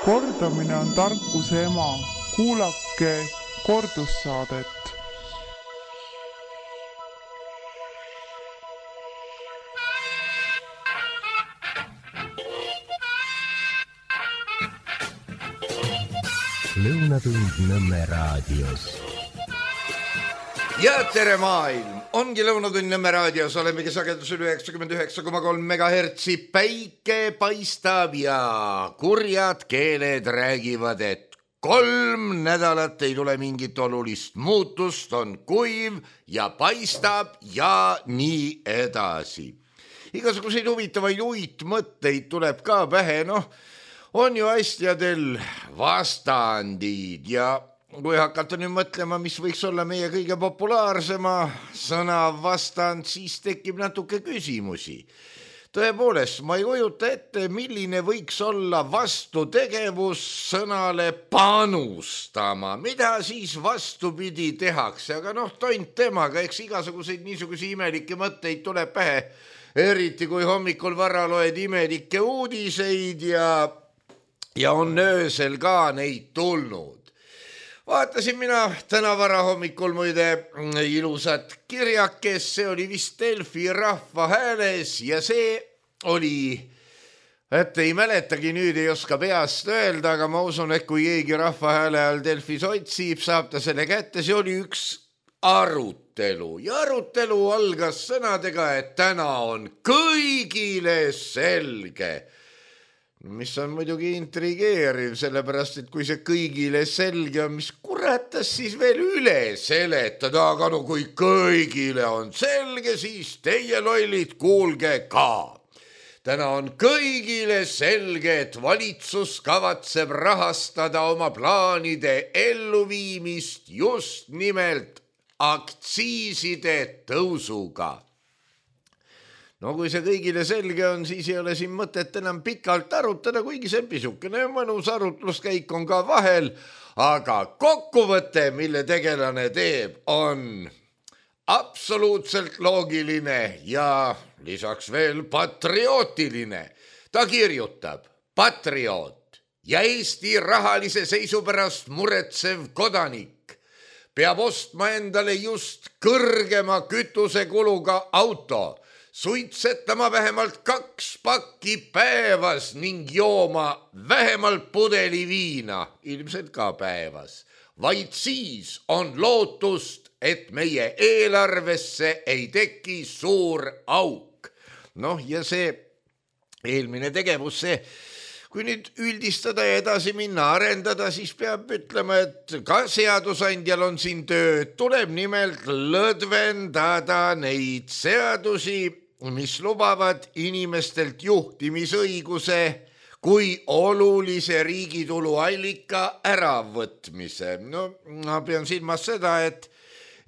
Kordamine on tarkuse ema. Kuulake kordussaadet. Lõunatund Nõmme raadios. Ja tere maailm! Ongi Lõunatund Nõmme raadios, olemegi sagedusel 99,3 MHz. Päike paistab ja kurjad keeled räägivad, et 3 nädalat ei tule mingit olulist muutust, on kuiv ja paistab ja nii edasi. Igasuguseid huvitavaid uitmõtteid tuleb ka pähe, on ju asjadel vastandid ja kui hakata nüüd mõtlema, mis võiks olla meie kõige populaarsema sõna vastand, siis tekib natuke küsimusi. Tõepoolest, ma ei kujuta ette, milline võiks olla vastutegevus sõnale panustama. Mida siis vastupidi tehakse, aga tont temaga, eks igasuguseid niisuguseid imelikke mõtteid tuleb pähe, eriti kui hommikul vara loed imelikke uudiseid ja on öösel ka neid tulnud. Vaatasin mina täna vara hommikul muide ilusat kirjakes, see oli vist Delfi Rahvahääles ja see oli, et ei mäletagi, nüüd ei oska peast öelda, aga ma usun, et kui keegi Rahvahääle all Delfis otsib, saab ta selle kätte, see oli üks arutelu ja arutelu algas sõnadega, et täna on kõigile selge. Mis on muidugi intrigeeriv, sellepärast, et kui see kõigile selge on, mis kuratas siis veel üle seletada, aga kui kõigile on selge, siis teie lollid, kuulge ka. Täna on kõigile selge, et valitsus kavatseb rahastada oma plaanide elluviimist just nimelt aktsiiside tõusuga. Kui see kõigile selge on, siis ei ole siin mõtet enam pikalt arutada, kuigi see pisukene mõnus arutluskäik on ka vahel, aga kokkuvõte, mille tegelane teeb, on absoluutselt loogiline ja lisaks veel patriootiline. Ta kirjutab, patrioot ja Eesti rahalise seisu pärast muretsev kodanik peab ostma endale just kõrgema kütusekuluga auto, suitsetama vähemalt 2 pakki päevas ning jooma vähemalt pudeli viina, ilmselt ka päevas. Vaid siis on lootust, et meie eelarvesse ei teki suur auk. Ja see eelmine tegevus, kui nüüd üldistada ja edasi minna, arendada, siis peab ütlema, et ka seadusandjal on siin tööd. Tuleb nimelt lõdvendada neid seadusi, mis lubavad inimestelt juhtimisõiguse kui olulise riigitulu allika äravõtmise. Ma pean silmas seda, et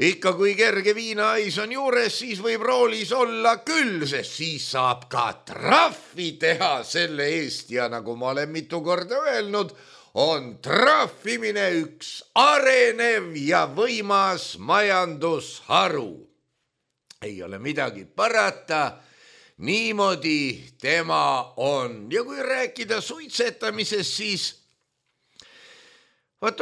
ikka kui kerge viinahais on juures, siis võib roolis olla küll, sest siis saab ka trahvi teha selle eest ja nagu ma olen mitu korda öelnud, on trahvimine üks arenev ja võimas majandusharu. Ei ole midagi parata, niimoodi tema on. Ja kui rääkida suitsetamisest, siis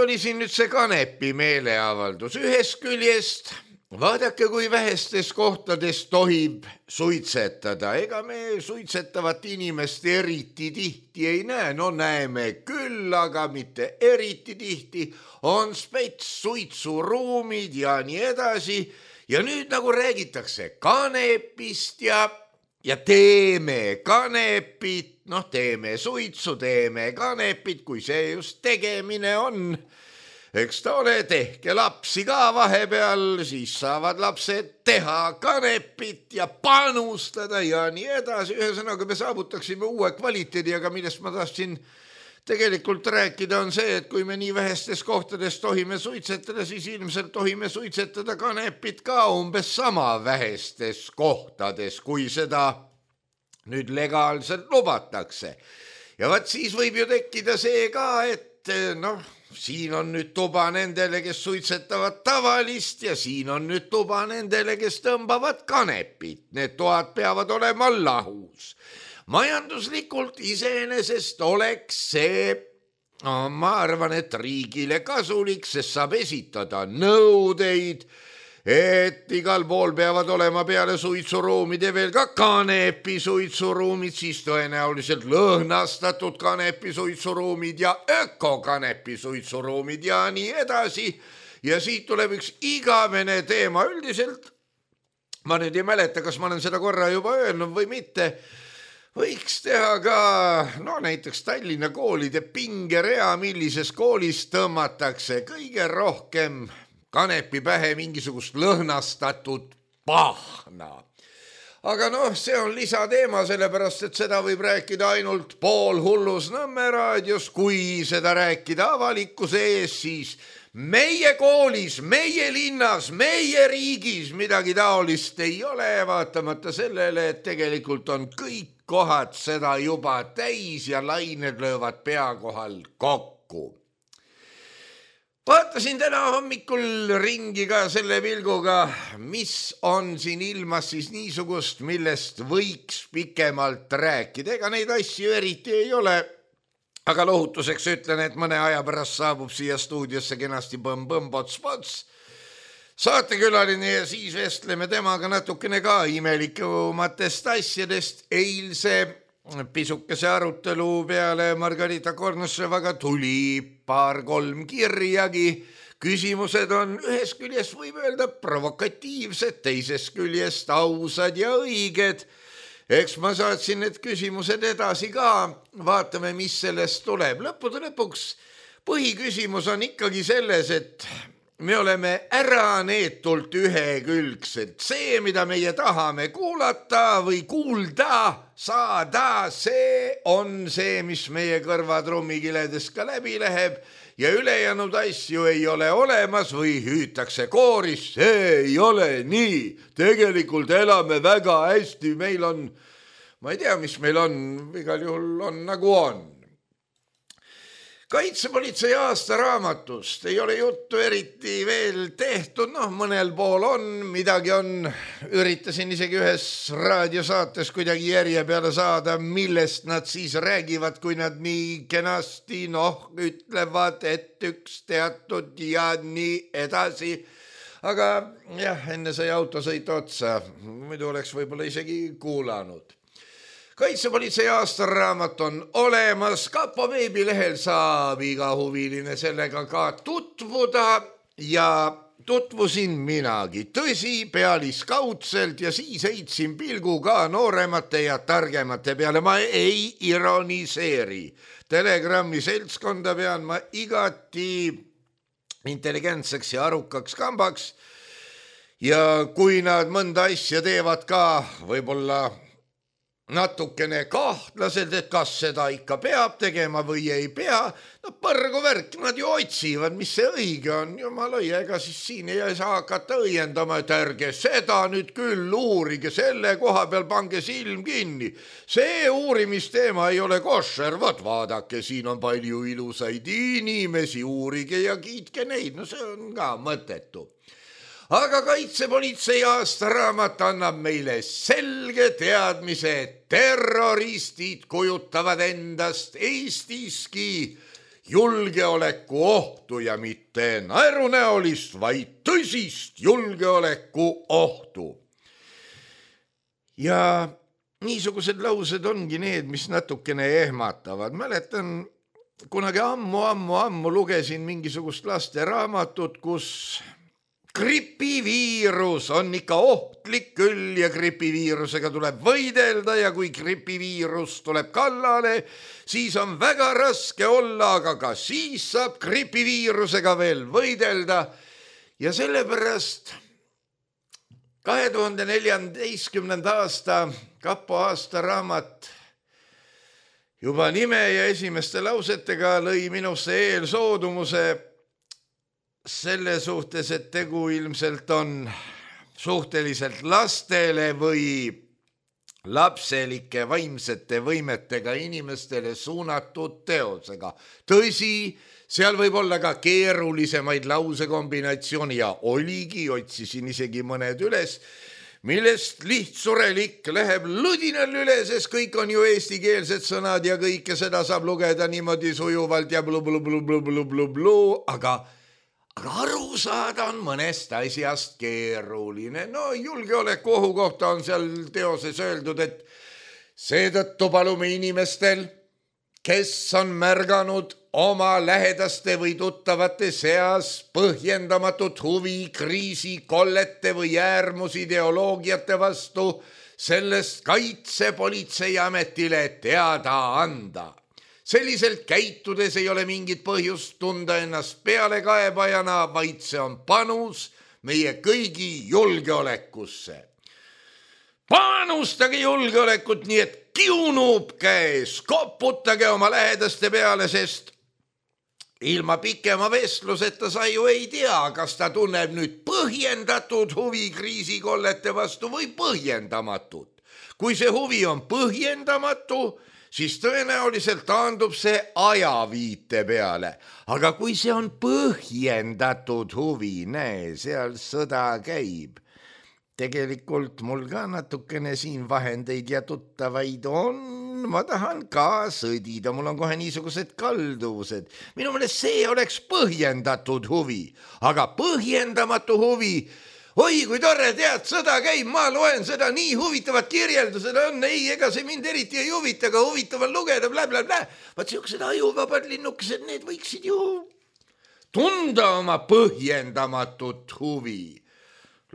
oli siin nüüd see kanepi meeleavaldus. Ühest küljest, vaadake, kui vähestes kohtades tohib suitsetada. Ega me suitsetavat inimest eriti tihti ei näe. Näeme küll, aga mitte eriti tihti. On spets suitsuruumid ja nii edasi. Ja nüüd nagu räägitakse kanepist ja teeme kanepit, teeme suitsu, teeme kanepit, kui see just tegemine on. Eks ta ole, tehke lapsi ka vahepeal, siis saavad lapsed teha kanepit ja panustada ja nii edasi. Ühesõnaga me saavutaksime uue kvaliteedi, aga millest ma tahtsin tegelikult rääkida on see, et kui me nii vähestes kohtades tohime suitsetada, siis ilmselt tohime suitsetada kanepit ka umbes sama vähestes kohtades, kui seda nüüd legaalselt lubatakse. Ja vaat siis võib ju tekkida see ka, et siin on nüüd tuba nendele, kes suitsetavad tavalist ja siin on nüüd tuba nendele, kes tõmbavad kanepit. Need toad peavad olema lahus. Majanduslikult iseenesest oleks see ma arvan, et riigile kasulik, sest saab esitada nõudeid, et igal pool peavad olema peale suitsuruumide veel ka kanepi suitsuruumid, siis tõenäoliselt lõhnastatud kanepi suitsuruumid ja ökokanepi suitsuruumid ja nii edasi. Ja siit tuleb üks igavene teema üldiselt. Ma nüüd ei mäleta, kas ma olen seda korra juba öelnud või mitte. Võiks teha ka näiteks Tallinna koolide pingerea, millises koolis tõmmatakse kõige rohkem kanepi pähe mingisugust lõhnastatud pahna. Aga see on lisateema, sellepärast, et seda võib rääkida ainult poolhullus Nõmme raadios, kui seda rääkida avalikkuse ees, siis meie koolis, meie linnas, meie riigis midagi taolist ei ole, vaatamata sellele, et tegelikult on kõik kohad seda juba täis ja lained löövad pea kohal kokku. Vaatasin täna hommikul ringi ka selle pilguga, mis on siin ilmas siis niisugust, millest võiks pikemalt rääkida. Ega neid asju eriti ei ole, aga lohutuseks ütlen, et mõne aja pärast saabub siia stuudiosse kenasti põmm-põmm-pots-pots saatekülaline ja siis vestleme temaga natukene ka imelikumatest asjadest. Eilse pisukese arutelu peale Margarita Kornossevaga tuli 2-3 kirjagi. Küsimused on ühes küljest võib öelda provokatiivsed, teises küljest ausad ja õiged. Eks ma saatsin need küsimused edasi ka, vaatame, mis sellest tuleb. Lõppude lõpuks põhiküsimus on ikkagi selles, et me oleme äraneetult ühekülgsed. See, mida meie tahame kuulata või kuulda saada, see on see, mis meie kõrvatrummikiledest ka läbi läheb ja ülejäänud asju ei ole olemas või hüütakse kooris. See ei ole nii. Tegelikult elame väga hästi. Meil on, ma ei tea, mis meil on, igal juhul on nagu on. Kaitsepolitsei aastaraamatust ei ole juttu eriti veel tehtud, mõnel pool on, midagi on, üritasin isegi ühes raadiosaates kuidagi järje peale saada, millest nad siis räägivad, kui nad nii kenasti ütlevad, et üks teatud ja nii edasi. Aga jah, enne sai autosõit otsa, muidu oleks võib-olla isegi kuulanud. Kaitsepolitsei aastaraamat on olemas, Kapo veebilehel saab iga huviline sellega ka tutvuda ja tutvusin minagi. Tõsi, pealiskaudselt ja siis heitsin pilgu ka nooremate ja targemate peale. Ma ei ironiseeri. Telegrammi seltskonda pean ma igati intelligentseks ja arukaks kambaks ja kui nad mõnda asja teevad ka võib-olla natukene kahtlaselt, et kas seda ikka peab tegema või ei pea. Põrgu värk, nad ju otsivad, mis see õige on. Jumala õige, ega siis siin ei saa hakata õiendama, et ärge seda nüüd küll uurige, selle koha peal pange silm kinni. See uurimisteema ei ole košer, vaadake, siin on palju ilusaid inimesi, uurige ja kiitke neid. See on ka mõttetu. Aga Kaitsepolitsei aastaraamat annab meile selge teadmise, et terroristid kujutavad endast Eestiski julgeoleku ohtu ja mitte naerunäolist, vaid tõsist julgeoleku ohtu. Ja niisugused laused ongi need, mis natukene ehmatavad. Mäletan, kunagi ammu lugesin mingisugust lasteraamatut, kus gripiviirus on ikka ohtlik küll ja gripiviirusega tuleb võidelda ja kui gripiviirus tuleb kallale, siis on väga raske olla, aga ka siis saab gripiviirusega veel võidelda. Ja sellepärast 2014. aasta Kapo aastaraamat juba nime ja esimeste lausetega lõi minusse eelsoodumuse selle suhtes, et tegu ilmselt on suhteliselt lastele või lapselike vaimsete võimetega inimestele suunatud teosega. Tõsi, seal võib olla ka keerulisemaid lausekombinatsiooni ja oligi, otsisin isegi mõned üles, millest lihtsurelik läheb ludinal üle, sest kõik on ju eestikeelsed sõnad ja kõike seda saab lugeda niimoodi sujuvalt ja blu, aga aru saada on mõnest asjast keeruline. No julgeoleku ohu kohta on seal teoses öeldud, et seetõttu palume inimestel, kes on märganud oma lähedaste või tuttavate seas põhjendamatut huvi kriisikollete või äärmusideoloogiate vastu, sellest Kaitsepolitseiametile teada anda. Selliselt käitudes ei ole mingit põhjust tunda ennast pealekaebajana, vaid see on panus meie kõigi julgeolekusse. Panustage julgeolekut nii, et kiunub käes, koputage oma lähedaste peale, sest ilma pikema vestluseta sa ju ei tea, kas ta tunneb nüüd põhjendatud huvi kriisikollete vastu või põhjendamatut. Kui see huvi on põhjendamatu, siis tõenäoliselt taandub see ajaviite peale. Aga kui see on põhjendatud huvi, näe, seal sõda käib. Tegelikult mul ka natukene siin vahendeid ja tuttavaid on. Ma tahan ka sõdida, mul on kohe niisugused kalduvused. Minu meelest see oleks põhjendatud huvi, aga põhjendamatu huvi, oi kui tore, tead, sõda käib, ma loen seda, nii huvitavad kirjeldused on, ei, ega see mind eriti ei huvita, aga huvitav on lugeda, blablabla. Vaat siuksed ajuvabad linnukesed, need võiksid ju tunda oma põhjendamatut huvi.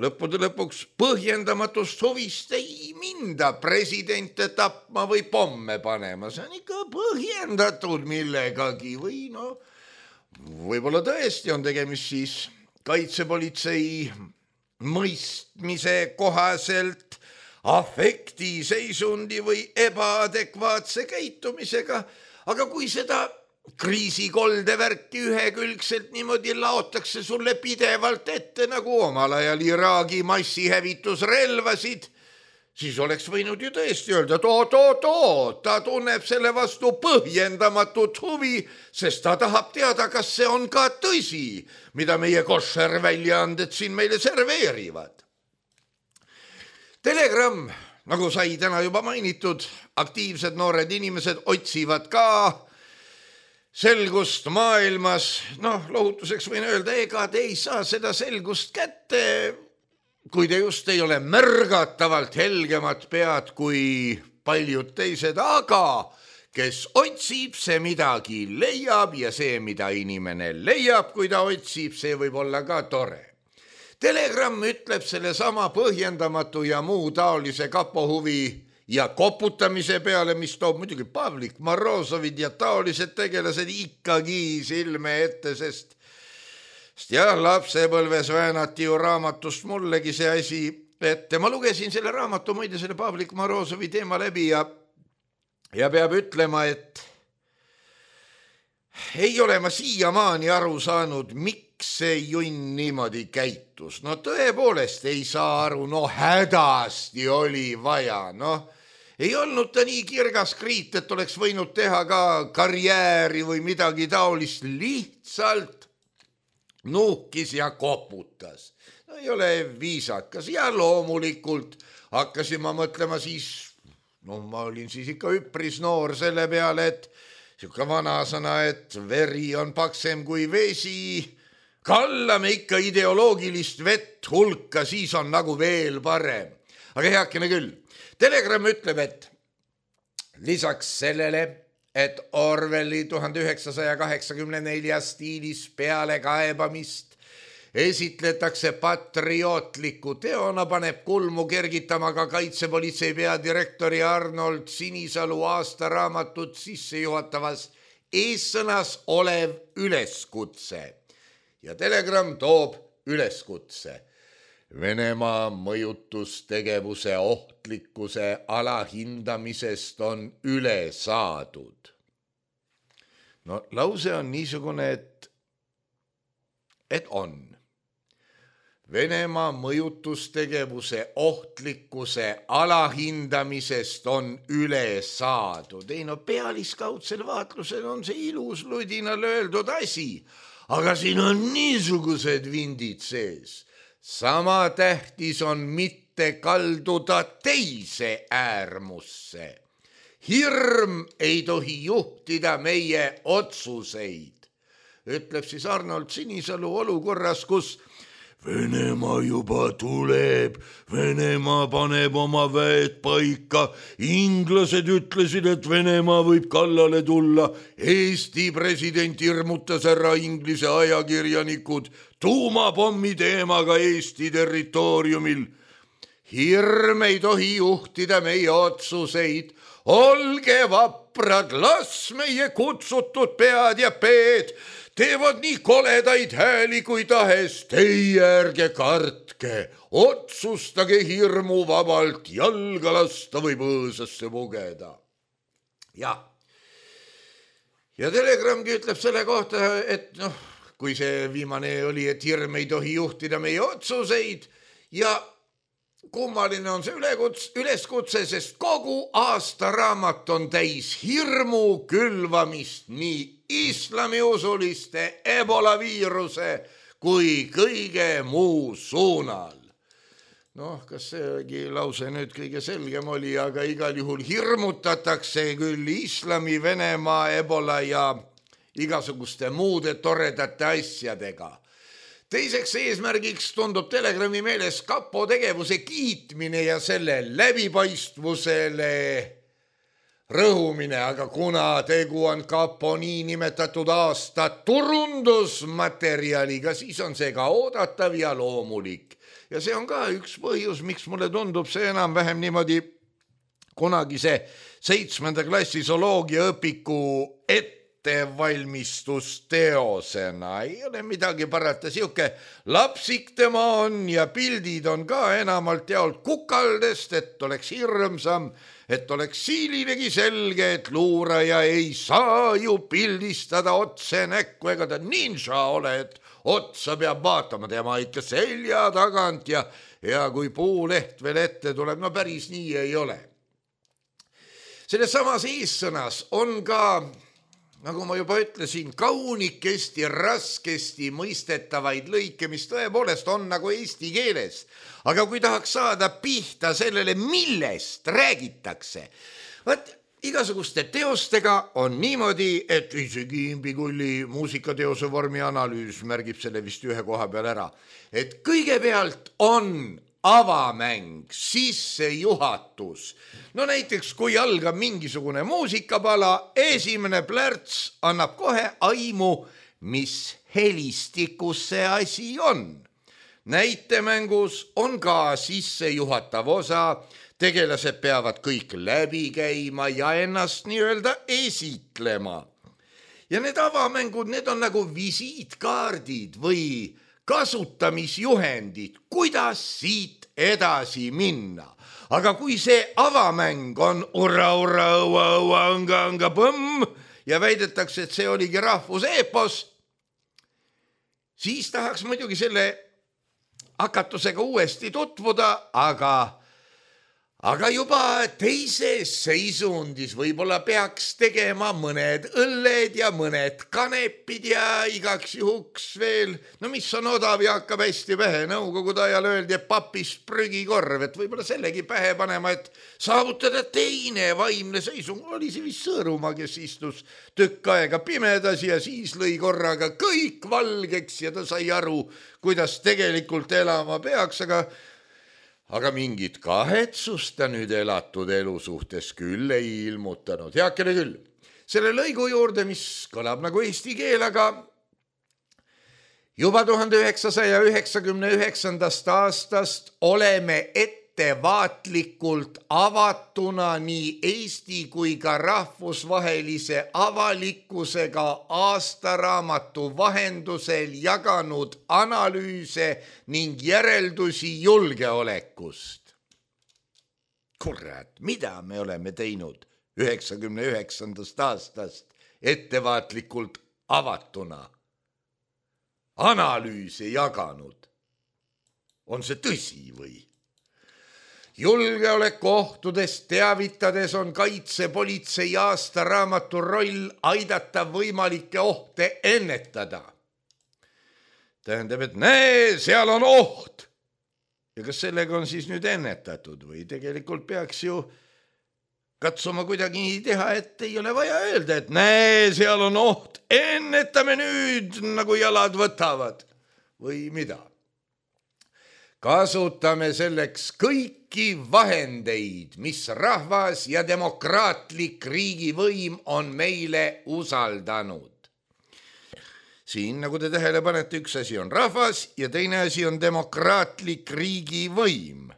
Lõppude lõpuks põhjendamatust huvist ei minda presidente tapma või pomme panema. See on ikka põhjendatud millegagi või no, võib-olla tõesti on tegemist siis kaitsepolitsei mõistmise kohaselt afektiseisundi või ebaadekvaatse käitumisega, aga kui seda kriisikolde värki ühekülgselt niimoodi laotakse sulle pidevalt ette nagu omal ajal Iraagi massihävitusrelvasid, siis oleks võinud ju tõesti öelda, ta tunneb selle vastu põhjendamatut huvi, sest ta tahab teada, kas see on ka tõsi, mida meie koššerväljaanded siin meile serveerivad. Telegram, nagu sai täna juba mainitud, aktiivsed noored inimesed otsivad ka selgust maailmas. Noh, lohutuseks võin öelda, ega te ei saa seda selgust kätte, kui te just ei ole märgatavalt helgemat pead kui paljud teised, aga kes otsib, see midagi leiab ja see, mida inimene leiab, kui ta otsib, see võib olla ka tore. Telegram ütleb selle sama põhjendamatu ja muu taolise kapohuvi ja koputamise peale, mis toob muidugi Pavlik Morozovid ja taolised tegelased ikkagi silme ette, sest jah, lapsepõlves väänati ju raamatust mullegi see asi, et ma lugesin selle raamatu muide selle Pavlik Morozovi teema läbi ja peab ütlema, et ei ole ma siiamaani aru saanud, miks see junn niimoodi käitus. No tõepoolest ei saa aru, no hädasti oli vaja, ei olnud ta nii kirgas kriit, et oleks võinud teha ka karjääri või midagi taolist, lihtsalt nuhkis ja koputas. No ei ole viisakas ja loomulikult hakkasin ma mõtlema siis, ma olin siis ikka üpris noor selle peale, et siuke vanasõna, et veri on paksem kui vesi, kallame ikka ideoloogilist vett hulka, siis on nagu veel parem. Aga heakene küll. Telegram ütleb, et lisaks sellele, et Orwelli 1984 stiilis pealekaebamist esitletakse patriootliku teona, paneb kulmu kergitama ka kaitsepolitsei peadirektori Arnold Sinisalu aastaraamatut sissejuhatavas eessõnas olev üleskutse. Ja Telegram toob üleskutse. Venemaa mõjutustegevuse ohtlikkuse alahindamisest on üle saadud. No lause on niisugune, et on. Venemaa mõjutustegevuse ohtlikkuse alahindamisest on üle saadud. Ei no pealiskaudsel vaatlusel on see ilus ludinal öeldud asi, aga siin on niisugused vindid sees. Sama tähtis on mitte mitte kalduda teise äärmusse. Hirm ei tohi juhtida meie otsuseid, ütleb siis Arnold Sinisalu olukorras, kus Venemaa juba tuleb, Venemaa paneb oma väed paika, inglased ütlesid, et Venemaa võib kallale tulla, Eesti president hirmutas ära Inglise ajakirjanikud tuumapommi teemaga Eesti territooriumil. Hirm ei tohi juhtida meie otsuseid, olge vaprad, las meie kutsutud pead ja peed teevad nii koledaid hääli kui tahes, teie ärge kartke, otsustage hirmuvabalt, jalga lasta või põõsasse pugeda. Ja Telegramgi ütleb selle kohta, et kui see viimane oli, et hirm ei tohi juhtida meie otsuseid ja kummaline on see üleskutse, sest kogu aastaraamat on täis hirmu külvamist nii islamiusuliste ebola viiruse kui kõige muu suunal. Kas seegi lause nüüd kõige selgem oli, aga igal juhul hirmutatakse küll islami, Venemaa, ebola ja igasuguste muude toredate asjadega. Teiseks eesmärgiks tundub Telegrami meeles kapo tegevuse kiitmine ja selle läbipaistvusele rõhumine, aga kuna tegu on kapo niinimetatud aasta turundusmaterjaliga, siis on see ka oodatav ja loomulik. Ja see on ka üks põhjus, miks mulle tundub see enam-vähem niimoodi kunagise 7. klassi zooloogia õpiku ettevalmistusteosena. Ei ole midagi parata, siuke lapsik tema on ja pildid on ka enamalt jaolt kukaldest, et oleks hirmsam, et oleks siilinegi selge, et luuraja ei saa ju pildistada otse näkku, ega ta ninja ole, et otsa peab vaatama tema ikka selja tagant ja kui puuleht veel ette tuleb, päris nii ei ole. Selles samas eessõnas on ka, nagu ma juba ütlesin, kaunikesti, raskesti mõistetavaid lõike, mis tõepoolest on nagu eesti keeles. Aga kui tahaks saada pihta sellele, millest räägitakse, igasuguste teostega on niimoodi, et isegi Imbikulli muusikateose vormi analüüs märgib selle vist ühe koha peal ära, et kõigepealt on avamäng, sissejuhatus. Näiteks kui algab mingisugune muusikapala, esimene plärts annab kohe aimu, mis helistikus see asi on. Näitemängus on ka sissejuhatav osa, tegelased peavad kõik läbi käima ja ennast nii-öelda esitlema. Ja need avamängud, need on nagu visiitkaardid või kasutamisjuhendid, kuidas siit edasi minna. Aga kui see avamäng on anga-põmm ja väidetakse, et see oligi rahvuseepos, siis tahaks muidugi selle hakatusega uuesti tutvuda, aga juba teises seisundis võib-olla peaks tegema mõned õlled ja mõned kanepid ja igaks juhuks veel, mis on odav ja hakkab hästi pähe. Nõukogude ajal öeldi, et papist prügikorv, et võib-olla sellegi pähe panema, et saavutada teine vaimne seisung. Oli see vist Sõõrumaa, kes istus tükk aega pimedas ja siis lõi korraga kõik valgeks ja ta sai aru, kuidas tegelikult elama peaks, aga mingit kahetsust ta nüüd elatud elu suhtes küll ei ilmutanud. Heakene küll. Selle lõigu juurde, mis kõlab nagu eesti keel, aga juba 1999. aastast oleme ettevaatlikult avatuna nii Eesti kui ka rahvusvahelise avalikkusega aastaraamatu vahendusel jaganud analüüse ning järeldusi julgeolekust. Kurat, mida me oleme teinud 99. aastast ettevaatlikult avatuna? Analüüse jaganud. On see tõsi või? Julgeolekuohtudest teavitades on kaitsepolitsei aastaraamatu roll aidata võimalikke ohte ennetada. Tähendab, et näe, seal on oht. Ja kas sellega on siis nüüd ennetatud või tegelikult peaks ju katsuma kuidagi nii teha, et ei ole vaja öelda, et näe, seal on oht, ennetame nüüd, nagu jalad võtavad või mida. Kasutame selleks kõiki vahendeid, mis rahvas ja demokraatlik riigivõim on meile usaldanud. Siin, nagu te tähele panete, üks asi on rahvas ja teine asi on demokraatlik riigivõim.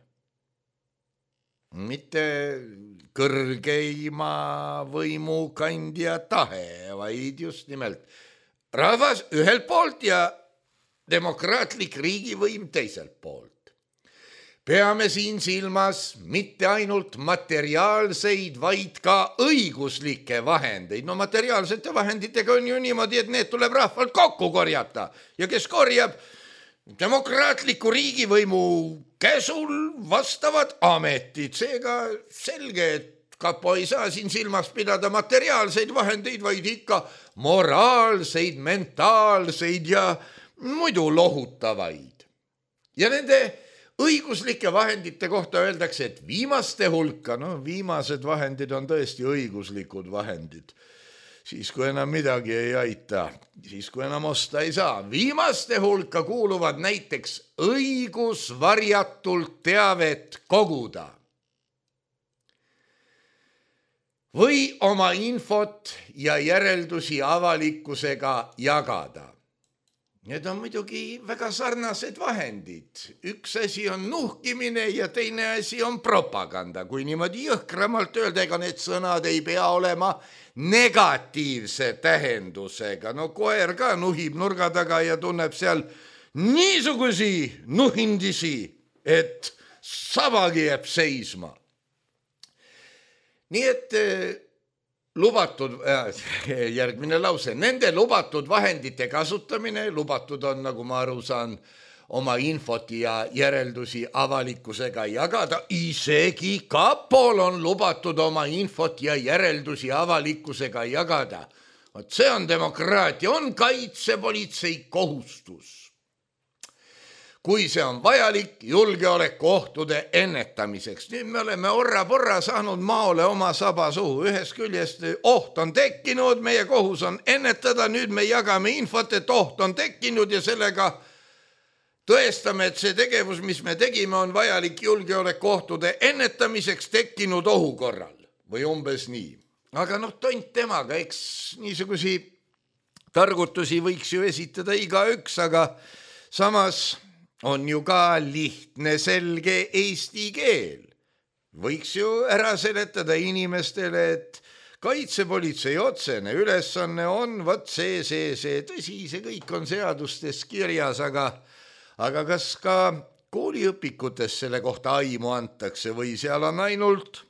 Mitte kõrgeima võimukandja tahe, vaid just nimelt rahvas ühelt poolt ja demokraatlik riigivõim teiselt poolt. Peame siin silmas mitte ainult materiaalseid, vaid ka õiguslikke vahendeid. No materiaalsete vahenditega on ju niimoodi, et need tuleb rahvalt kokku korjata. Ja kes korjab demokraatliku riigivõimu käsul vastavad ametid. Seega selge, et kapo ei saa siin silmas pidada materiaalseid vahendeid, vaid ikka moraalseid, mentaalseid ja muidu lohutavaid. Ja nende õiguslike vahendite kohta öeldakse, et viimaste hulka, viimased vahendid on tõesti õiguslikud vahendid. Siis kui enam midagi ei aita, siis kui enam osta ei saa. Viimaste hulka kuuluvad näiteks õigus varjatult teavet koguda või oma infot ja järeldusi avalikkusega jagada. Need on muidugi väga sarnased vahendid. Üks asi on nuhkimine ja teine asi on propaganda. Kui niimoodi jõhkramalt öelda, ega need sõnad ei pea olema negatiivse tähendusega. No koer ka nuhib nurga taga ja tunneb seal niisugusi nuhindisi, et sabagi jääb seisma. Nii et lubatud, järgmine lause, nende lubatud vahendite kasutamine, lubatud on, nagu ma aru saan, oma infot ja järeldusi avalikkusega jagada. Isegi kapol on lubatud oma infot ja järeldusi avalikkusega jagada. See on demokraatia, on kaitsepolitsei kohustus. Kui see on vajalik julgeolekuohtude ennetamiseks. Nüüd me oleme orra-porra saanud maole oma saba suhu. Ühest küljest oht on tekkinud, meie kohus on ennetada, nüüd me jagame infot, et oht on tekkinud ja sellega tõestame, et see tegevus, mis me tegime, on vajalik julgeolekuohtude ennetamiseks tekkinud ohu korral. Või umbes nii. Aga tont temaga, eks niisugusi targutusi võiks ju esitada igaüks, aga samas on ju ka lihtne, selge eesti keel. Võiks ju ära seletada inimestele, et kaitsepolitsei otsene ülesanne on see. Tõsi, see kõik on seadustes kirjas, aga kas ka kooliõpikutes selle kohta aimu antakse või seal on ainult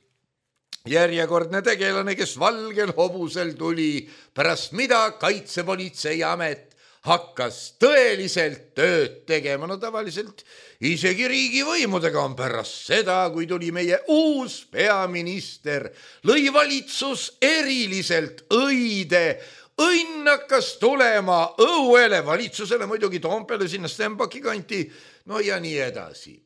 järjekordne tegelane, kes valgel hobusel tuli, pärast mida kaitsepolitsei amet hakkas tõeliselt tööd tegema. Tavaliselt isegi riigivõimudega on pärast seda, kui tuli meie uus peaminister, lõi valitsus eriliselt õide. Õnn hakkas tulema õuele valitsusele, muidugi Toompeale sinna Stenbocki kanti, ja nii edasi.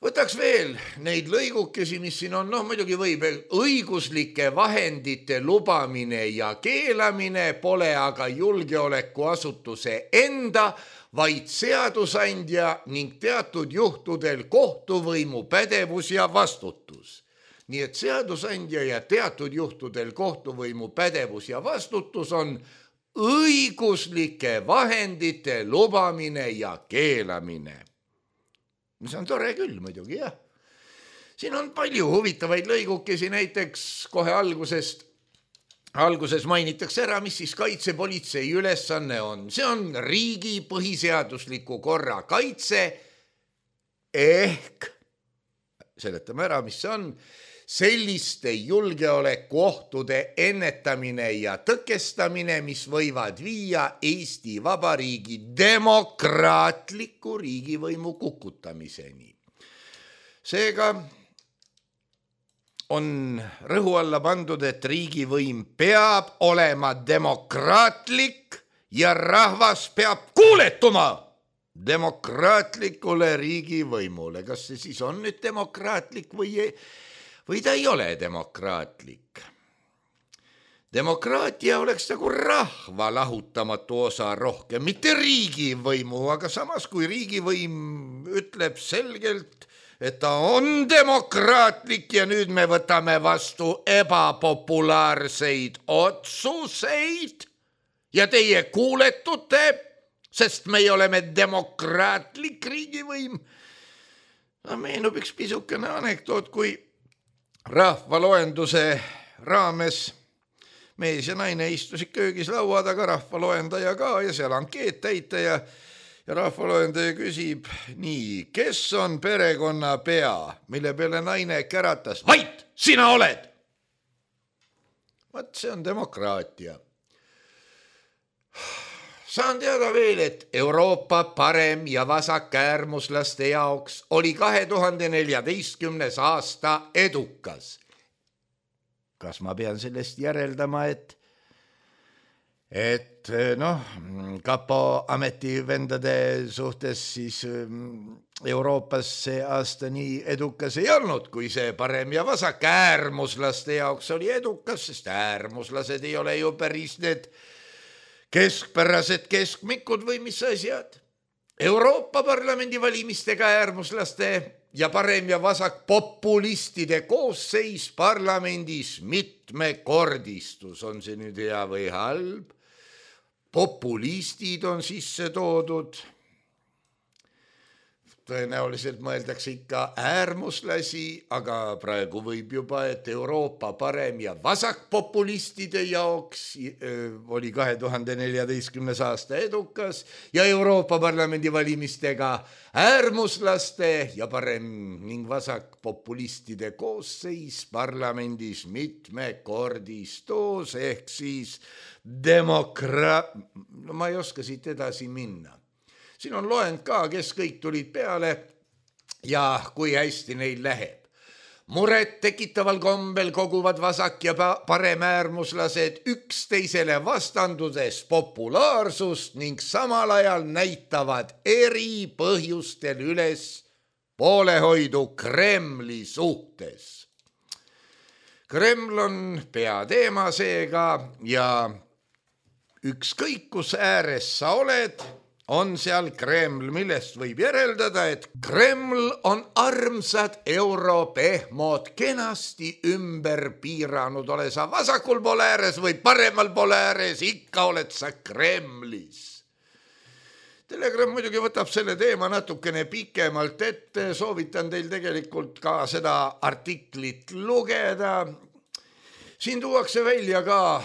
Võtaks veel neid lõigukesi, mis siin on, muidugi võib, õiguslike vahendite lubamine ja keelamine pole aga julgeolekuasutuse enda, vaid seadusandja ning teatud juhtudel kohtuvõimu pädevus ja vastutus. Nii et seadusandja ja teatud juhtudel kohtuvõimu pädevus ja vastutus on õiguslike vahendite lubamine ja keelamine. See on tore küll muidugi, jah. Siin on palju huvitavaid lõigukesi, näiteks kohe alguses mainitakse ära, mis siis kaitsepolitsei ülesanne on. See on riigi põhiseadusliku korra kaitse ehk, seletame ära, mis see on, selliste julgeolekuohtude ennetamine ja tõkestamine, mis võivad viia Eesti Vabariigi demokraatliku riigivõimu kukutamiseni. Seega on rõhu alla pandud, et riigivõim peab olema demokraatlik ja rahvas peab kuuletuma demokraatlikule riigivõimule. Kas see siis on nüüd demokraatlik või ta ei ole demokraatlik? Demokraatia oleks nagu rahva lahutamatu osa rohkem, mitte riigivõimu, aga samas kui riigivõim ütleb selgelt, et ta on demokraatlik ja nüüd me võtame vastu ebapopulaarseid otsuseid ja teie kuuletute, sest meie oleme demokraatlik riigivõim. Meenub üks pisukene anekdoot, kui rahvaloenduse raames mees ja naine istusid köögis laua taga, rahvaloendaja ka ja seal ankeet täita ja rahvaloendaja küsib nii, kes on perekonna pea, mille peale naine käratas, vait, sina oled. Vaat see on demokraatia. Saan teada veel, et Euroopa parem- ja vasakäärmuslaste jaoks oli 2014. aasta edukas. Kas ma pean sellest järeldama, et kapo ametivendade suhtes siis Euroopas see aasta nii edukas ei olnud, kui see parem- ja vasakäärmuslaste jaoks oli edukas, sest äärmuslased ei ole ju päris need keskpärased keskmikud või mis asjad. Euroopa Parlamendi valimistega äärmuslaste ja parem- ja vasakpopulistide koosseis parlamendis mitmekordistus. On see nüüd hea või halb? Populistid on sisse toodud. Tõenäoliselt mõeldakse ikka äärmuslasi, aga praegu võib juba, et Euroopa parem- ja vasakpopulistide jaoks oli 2014. aasta edukas ja Euroopa Parlamendi valimistega äärmuslaste ja parem- ning vasakpopulistide koosseis parlamendis mitmekordistus ehk siis ma ei oska siit edasi minna. Siin on loend ka, kes kõik tulid peale ja kui hästi neil läheb. Muret tekitaval kombel koguvad vasak- ja paremäärmuslased üksteisele vastandudes populaarsust ning samal ajal näitavad eri põhjustel üles poolehoidu Kremli suhtes. Kreml on peateema seega ja ükskõik kus ääres sa oled, on seal Kreml, millest võib järeldada, et Kreml on armsad europehmod kenasti ümber piiranud, ole sa vasakul pool ääres või paremal pool ääres, ikka oled sa Kremlis. Telegram muidugi võtab selle teema natukene pikemalt ette, soovitan teil tegelikult ka seda artiklit lugeda. Siin tuuakse välja ka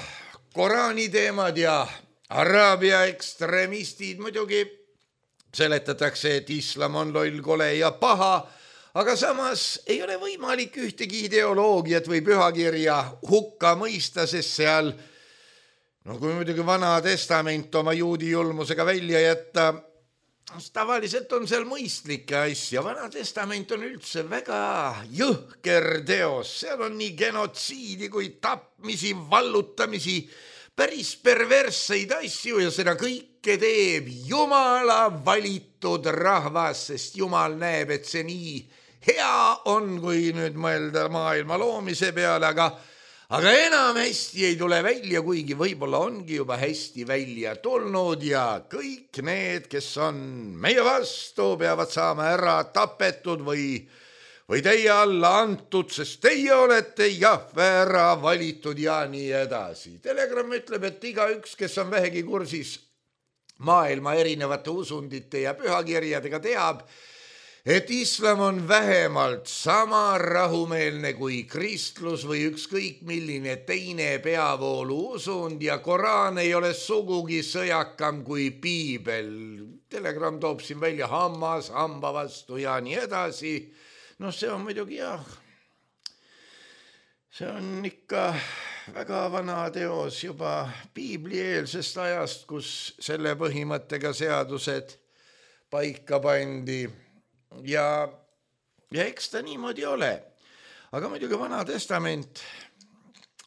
Koraani teemad ja Araabia ekstremistid. Muidugi seletatakse, et islam on loll, kole ja paha, aga samas ei ole võimalik ühtegi ideoloogiat või pühakirja hukka mõista, sest seal, kui muidugi Vana Testament oma juudi julmusega välja jätta, tavaliselt on seal mõistlikke asja. Vana Testament on üldse väga jõhker teos, seal on nii genotsiidi kui tapmisi, vallutamisi, päris perversseid asju ja seda kõike teeb Jumala valitud rahvas, sest Jumal näeb, et see nii hea on, kui nüüd mõelda maailma loomise peale, aga enam hästi ei tule välja, kuigi võib-olla ongi juba hästi välja tulnud ja kõik need, kes on meie vastu, peavad saama ära tapetud või teie alla antud, sest teie olete Jahve ära valitud ja nii edasi. Telegram ütleb, et igaüks, kes on vähegi kursis maailma erinevate usundite ja pühakirjadega, teab, et islam on vähemalt sama rahumeelne kui kristlus või ükskõik milline teine peavoolu usund ja Koraan ei ole sugugi sõjakam kui piibel. Telegram toob siin välja hammas hamba vastu ja nii edasi. See on muidugi jah, see on ikka väga vana teos juba piiblieelsest ajast, kus selle põhimõttega seadused paika pandi ja eks ta niimoodi ole. Aga muidugi Vana Testament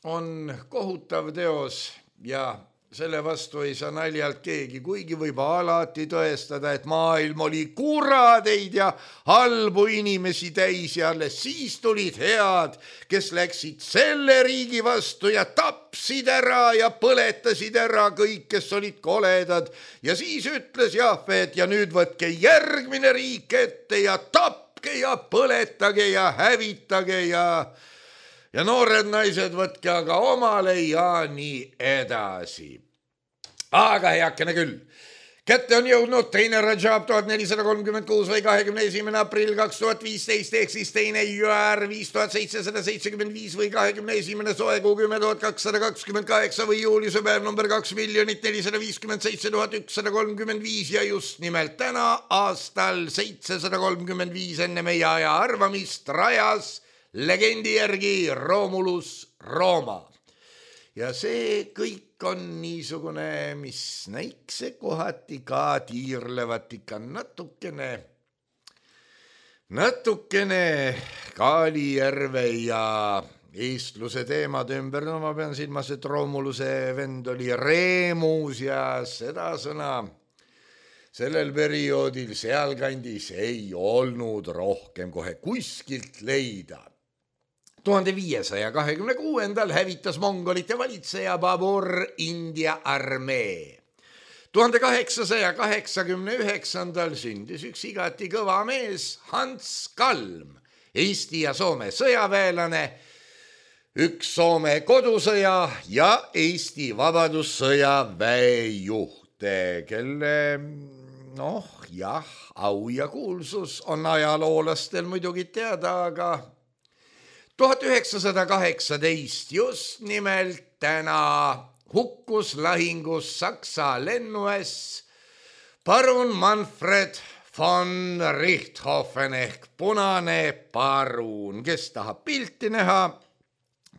on kohutav teos ja selle vastu ei saa naljalt keegi, kuigi võib alati tõestada, et maailm oli kuradeid ja halbu inimesi täis ja alles siis tulid head, kes läksid selle riigi vastu ja tapsid ära ja põletasid ära kõik, kes olid koledad. Ja siis ütles Jahvet ja nüüd võtke järgmine riik ette ja tapke ja põletage ja hävitage ja noored naised võtke aga omale ja nii edasi. Aga heakene küll. Kätte on jõudnud teine Rajab 1436 või 21. aprill 2015 ehk siis teine Jüär 5775 või 21. soekuu 10228 või juuliuse päev number 2 457 135 ja just nimelt täna aastal 735 enne meie aja arvamist rajas legendi järgi Romulus Rooma. Ja see kõik on niisugune, mis näikse kohati ka tiirlevat ikka natukene Kaalijärve ja eestluse teemad ümber. No ma pean silmas, et Romuluse vend oli Reemus ja seda sõna sellel perioodil sealkandis ei olnud rohkem kohe kuskilt leida. 1526. hävitas mongolite valitseja Babur India armee. 1889. sündis üks igati kõva mees Hans Kalm, Eesti ja Soome sõjaväelane, üks Soome kodusõja ja Eesti vabadussõja väejuht, kelle au ja kuulsus on ajaloolastel muidugi teada, aga 1918 just nimelt täna hukkus lahingus Saksa lennuäss parun Manfred von Richthofen ehk punane parun. Kes tahab pilti näha,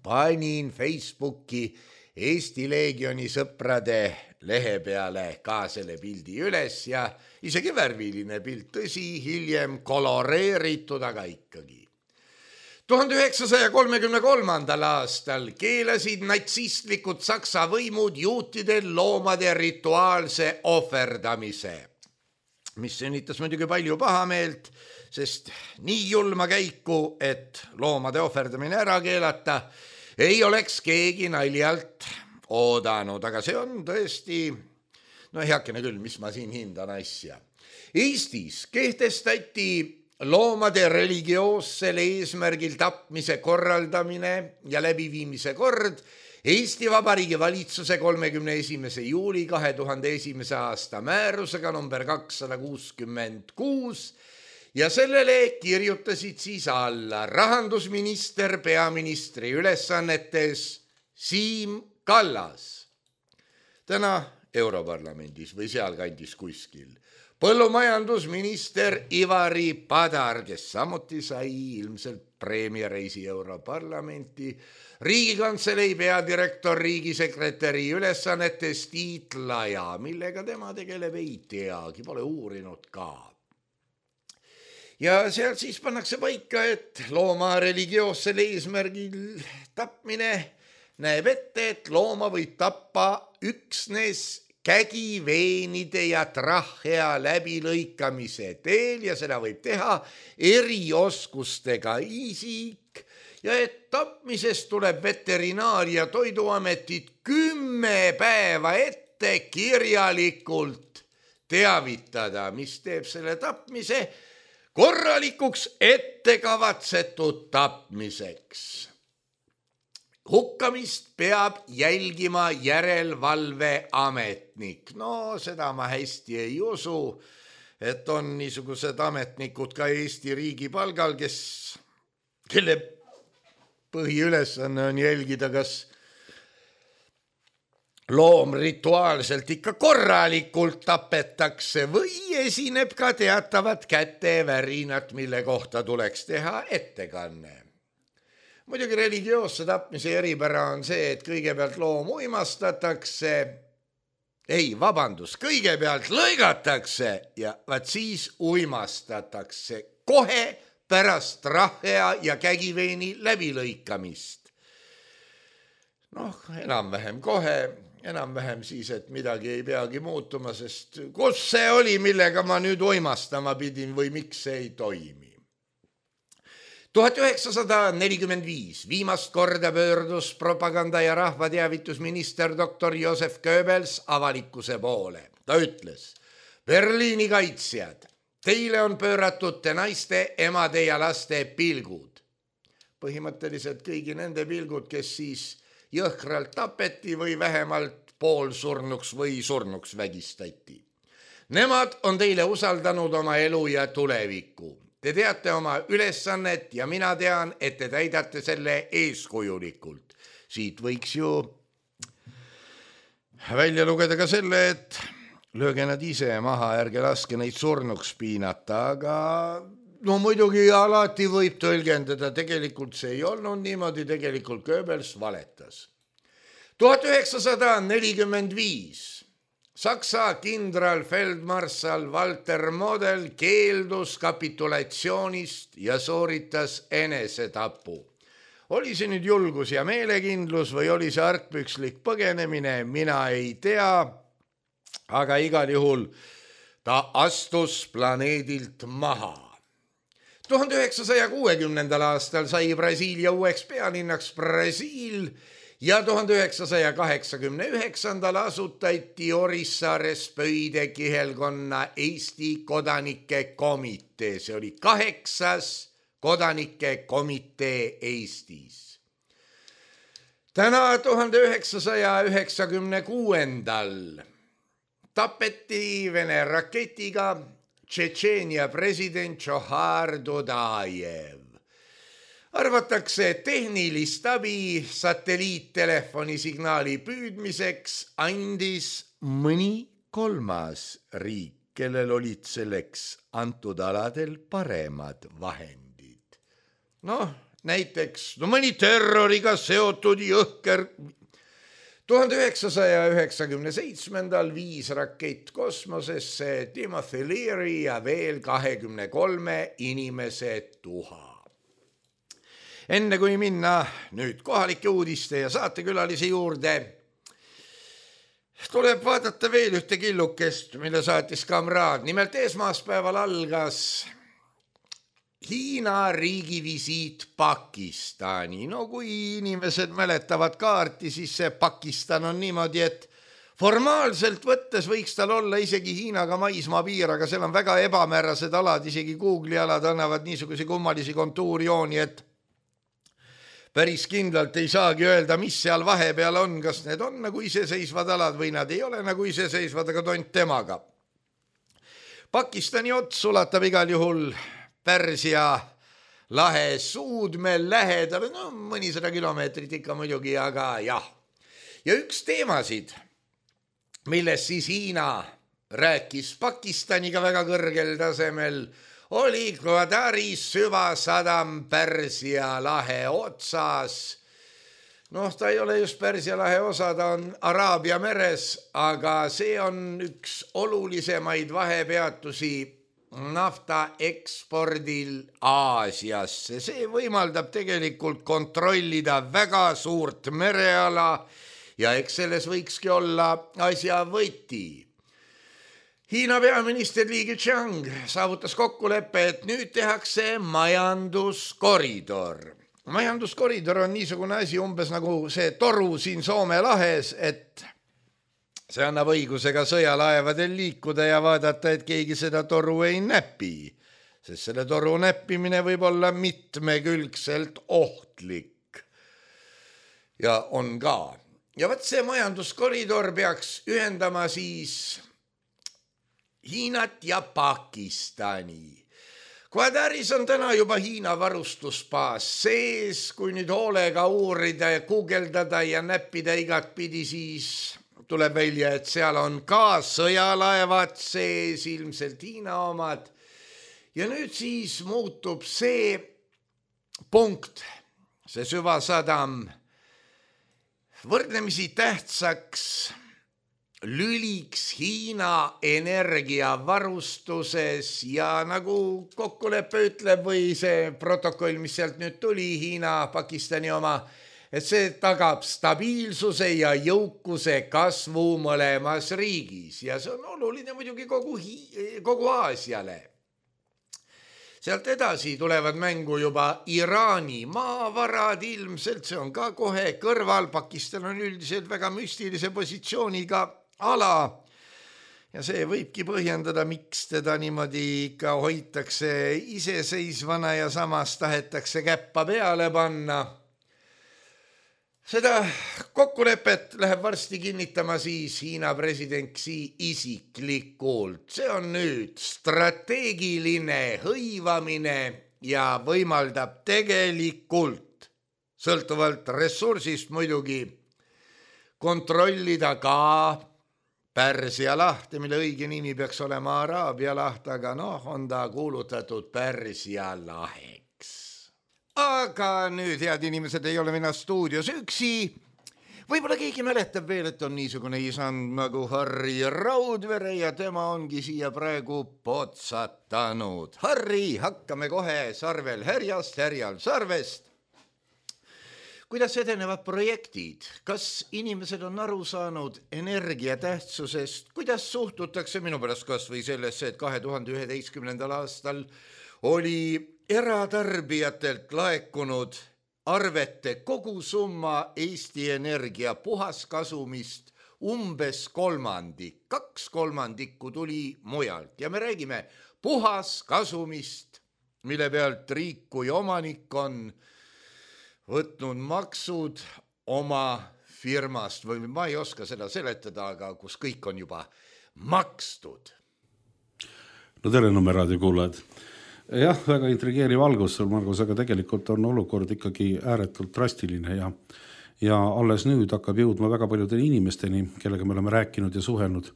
panin Facebooki Eesti Leegioni sõprade lehe peale ka selle pildi üles ja isegi värviline pilt, tõsi, hiljem koloreeritud, aga ikkagi. 1933. aastal keelasid natsistlikud Saksa võimud juutidel loomade rituaalse ohverdamise, mis sünnitas muidugi palju pahameelt, sest nii julma käiku, et loomade ohverdamine ära keelata, ei oleks keegi naljalt oodanud, aga see on tõesti, heakene küll, mis ma siin hindan asja. Eestis kehtestati loomade religioossel eesmärgil tapmise korraldamine ja läbiviimise kord Eesti Vabariigi valitsuse 31. juuli 2001. aasta määrusega number 266 ja sellele kirjutasid siis alla rahandusminister peaministri ülesannetes Siim Kallas, täna Europarlamendis või sealkandis kuskil, põllumajandusminister Ivari Padar, kes samuti sai ilmselt preemiareisi Europarlamenti, Riigikantselei peadirektor riigisekretäri ülesannetes Tiit Laja, millega tema tegeleb ei teagi, pole uurinud ka. Ja seal siis pannakse paika, et looma religioossel eesmärgil tapmine näeb ette, et looma võib tappa üksnes kägiveenide ja trahhea läbilõikamise teel ja seda võib teha erioskustega isik ja et tapmisest tuleb Veterinaar- ja Toiduametit 10 päeva ette kirjalikult teavitada, mis teeb selle tapmise korralikuks ettekavatsetud tapmiseks. Hukkamist peab jälgima järelevalveametnik. No seda ma hästi ei usu, et on niisugused ametnikud ka Eesti riigi palgal, kelle põhiülesanne on jälgida, kas loom rituaalselt ikka korralikult tapetakse või esineb ka teatavat kätevärinat, mille kohta tuleks teha ettekanne. Muidugi religioosse tapmise eripära on see, et kõigepealt loom uimastatakse, kõigepealt lõigatakse ja vaat siis uimastatakse kohe pärast trahhea ja kägiveeni läbilõikamist. Enam-vähem kohe, enam-vähem siis, et midagi ei peagi muutuma, sest kus see oli, millega ma nüüd uimastama pidin või miks see ei toimi. 1945 viimast korda pöördus propaganda- ja rahvateavitusminister doktor Josef Goebbels avalikkuse poole. Ta ütles, Berliini kaitsjad, teile on pööratud te naiste, emade ja laste pilgud. Põhimõtteliselt kõigi nende pilgud, kes siis jõhkralt tapeti või vähemalt poolsurnuks või surnuks vägistati. Nemad on teile usaldanud oma elu ja tuleviku. Te teate oma ülesannet ja mina tean, et te täidate selle eeskujulikult. Siit võiks ju välja lugeda ka selle, et lööge nad ise maha, ärge laske neid surnuks piinata, aga no muidugi alati võib tõlgendada, tegelikult see ei olnud niimoodi, tegelikult Goebbels valetas. 1945 Saksa kindralfeldmarssal Walter Model keeldus kapitulatsioonist ja sooritas enesetapu. Oli see nüüd julgus ja meelekindlus või oli see argpükslik põgenemine, mina ei tea, aga igal juhul ta astus planeedilt maha. 1960. aastal sai Brasiilia uueks pealinnaks Brasiil ja 1989. asutati Orissaares Pöide kihelkonna Eesti kodanike komitee. See oli 8. kodanike komitee Eestis. Täna 1996. tapeti Vene raketiga Tšetšeenia president Džohar Dudajev. Arvatakse, et tehnilist abi satelliittelefoni signaali püüdmiseks andis mõni kolmas riik, kellel olid selleks antud aladel paremad vahendid. Näiteks mõni terroriga seotud jõhker. 1997. viis rakett kosmosesse Timothy Leary ja veel 23 inimese tuha. Enne kui minna nüüd kohalike uudiste ja saatekülalise juurde, tuleb vaadata veel ühte killukest, mille saatis kamraad. Nimelt esmaspäeval algas Hiina riigivisiit Pakistani. Kui inimesed mäletavad kaarti, siis see Pakistan on niimoodi, et formaalselt võttes võiks tal olla isegi Hiinaga maismaa piir, aga seal on väga ebamäärased alad, isegi Google'i alad annavad niisuguse kummalisi kontuurjooni, et päris kindlalt ei saagi öelda, mis seal vahepeal on, kas need on nagu iseseisvad alad või nad ei ole nagu iseseisvad, aga tont temaga. Pakistani ots ulatab igal juhul Pärsia lahe suudmel lähedal, mõnisada kilomeetrit ikka muidugi, aga jah. Ja üks teemasid, milles siis Hiina rääkis Pakistaniga väga kõrgel tasemel, oli Gwadari süvasadam Pärsia lahe otsas. Ta ei ole just Pärsia lahe osa, ta on Araabia meres, aga see on üks olulisemaid vahepeatusi nafta ekspordil Aasiasse. See võimaldab tegelikult kontrollida väga suurt mereala ja eks selles võikski olla asja võti. Hiina peaminister Li Keqiang saavutas kokkuleppe, et nüüd tehakse majanduskoridor. Majanduskoridor on niisugune asi umbes nagu see toru siin Soome lahes, et see annab õiguse ka sõjalaevadel liikuda ja vaadata, et keegi seda toru ei näpi, sest selle toru näppimine võib olla mitmekülgselt ohtlik. Ja on ka. Ja võt see majanduskoridor peaks ühendama siis Hiinat ja Pakistani. Gwadaris on täna juba Hiina varustusbaas sees, kui nüüd hoolega uurida ja guugeldada ja näppida igat pidi, siis tuleb välja, et seal on ka sõjalaevad sees, ilmselt Hiina omad. Ja nüüd siis muutub see punkt, see süvasadam, võrdlemisi tähtsaks lüliks Hiina energiavarustuses ja nagu kokkulepe ütleb või see protokoll, mis sealt nüüd tuli, Hiina, Pakistani oma, et see tagab stabiilsuse ja jõukuse kasvu mõlemas riigis ja see on oluline muidugi kogu Aasiale. Sealt edasi tulevad mängu juba Iraani maavarad ilmselt, see on ka kohe kõrval, Pakistan on üldiselt väga müstilise positsiooniga ala ja see võibki põhjendada, miks teda niimoodi ikka hoitakse iseseisvana ja samas tahetakse käppa peale panna. Seda kokkulepet läheb varsti kinnitama siis Hiina president Xi isiklikult. See on nüüd strateegiline hõivamine ja võimaldab tegelikult, sõltuvalt ressursist muidugi, kontrollida ka Pärsia lahte, mille õige nimi peaks olema Araabia laht, aga on ta kuulutatud Pärsia laheks. Aga nüüd, head inimesed, ei ole mina stuudios üksi. Võib-olla keegi mäletab veel, et on niisugune isand nagu Harri Raudvere ja tema ongi siia praegu potsatanud. Harri, hakkame kohe sarvel härjast, härjal sarvest. Kuidas edenevad projektid? Kas inimesed on aru saanud energia tähtsusest? Kuidas suhtutakse minu pärast kas või sellesse, et 2011. aastal oli eratarbijatelt laekunud arvete kogusumma Eesti Energia puhaskasumist umbes 1/3. 2/3 tuli mujalt ja me räägime puhaskasumist, mille pealt riik kui omanik on võtnud maksud oma firmast või ma ei oska seda seletada, aga kus kõik on juba makstud. No tere Nõmme raadio kuulajad. Jah, väga intrigeeriv algus sul, Margus, aga tegelikult on olukord ikkagi ääretult drastiline ja alles nüüd hakkab jõudma väga paljudele inimesteni, kellega me oleme rääkinud ja suhelnud.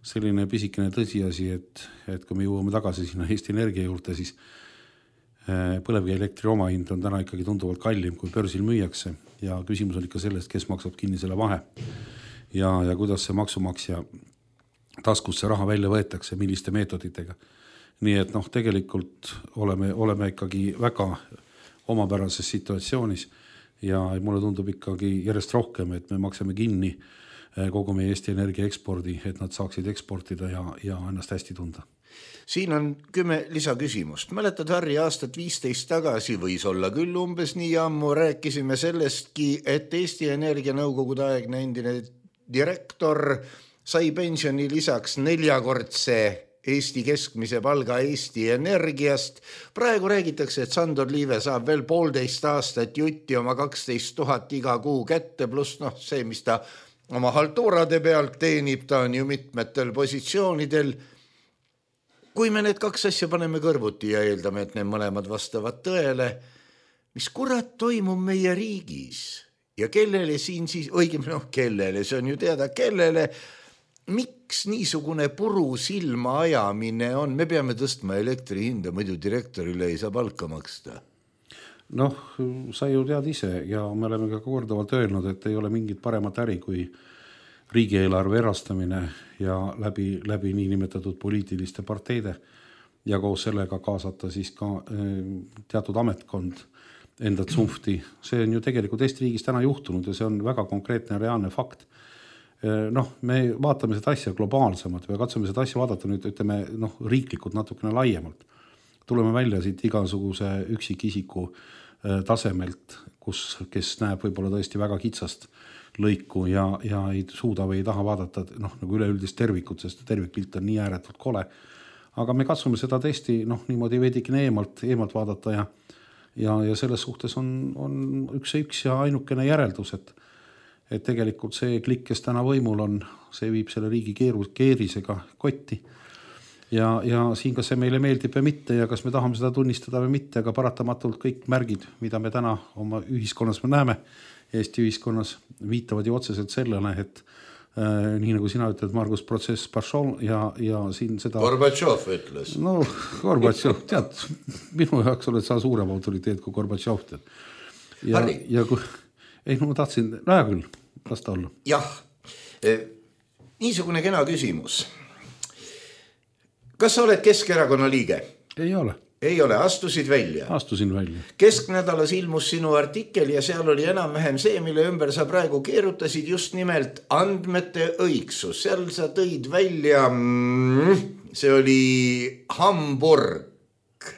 Selline pisikene tõsiasi, et kui me jõuame tagasi sinna Eesti Energia juurde, siis põlevkivi elektri omahind on täna ikkagi tunduvalt kallim, kui börsil müüakse ja küsimus on ikka sellest, kes maksab kinni selle vahe ja kuidas see maksumaksja taskusse raha välja võetakse, milliste meetoditega. Nii et tegelikult oleme ikkagi väga omapärases situatsioonis ja mulle tundub ikkagi järjest rohkem, et me maksame kinni kogu meie Eesti Energia ekspordi, et nad saaksid eksportida ja ennast hästi tunda. Siin on 10 lisaküsimust. Mäletad, Harri, aastat 15 tagasi võis olla küll umbes nii ammu, rääkisime sellestki, et Eesti Energia nõukogude aegne endine direktor sai pensioni lisaks 4-kordse Eesti keskmise palga Eesti Energiast. Praegu räägitakse, et Sandor Liive saab veel 1,5 aastat jutti oma 12 000 iga kuu kätte, pluss see, mis ta oma haltuurade pealt teenib, ta on ju mitmetel positsioonidel. Kui me need 2 asja paneme kõrvuti ja eeldame, et need mõlemad vastavad tõele, mis kurat toimub meie riigis ja kellele siin siis, õigemini kellele, see on ju teada, kellele, miks niisugune puru silma ajamine on? Me peame tõstma elektri hinda, muidu direktorile ei saa palka maksta. Sa ju tead ise ja me oleme ka korduvalt öelnud, et ei ole mingit paremat äri kui riigieelarve erastamine ja läbi niinimetatud poliitiliste parteide ja koos sellega kaasata siis ka teatud ametkond enda tsumfti. See on ju tegelikult Eesti riigis täna juhtunud ja see on väga konkreetne reaalne fakt. Me vaatame seda asja globaalsemalt või katsume seda asja vaadata nüüd, ütleme, riiklikult natukene laiemalt. Tuleme välja siit igasuguse üksikisiku tasemelt, kes näeb võib-olla tõesti väga kitsast lõiku ja ei suuda või ei taha vaadata nagu üleüldist tervikut, sest tervikpilt on nii ääretult kole. Aga me katsume seda tõesti niimoodi veidikene eemalt vaadata ja selles suhtes on üks ja ainukene järeldus, et tegelikult see klikk, kes täna võimul on, see viib selle riigi keerisega kotti. Ja siin kas see meile meeldib või mitte ja kas me tahame seda tunnistada või mitte, aga paratamatult kõik märgid, mida me täna oma ühiskonnas me näeme, Eesti ühiskonnas viitavad ju otseselt sellele, et nii nagu sina ütled, Margus, protsess Baršol ja siin seda... Gorbatšov ütles. Gorbatšov, tead, minu jaoks oled sa suurem autoriteet kui Gorbatšov. Harri. Ma tahtsin, hea küll, las ta olla. Jah, niisugune kena küsimus. Kas sa oled Keskerakonna liige? Ei ole. Ei ole, astusid välja. Astusin välja. Kesknädalas ilmus sinu artikkel ja seal oli enam-vähem see, mille ümber sa praegu keerutasid, just nimelt andmete õigsus. Seal sa tõid välja, see oli Hamburg,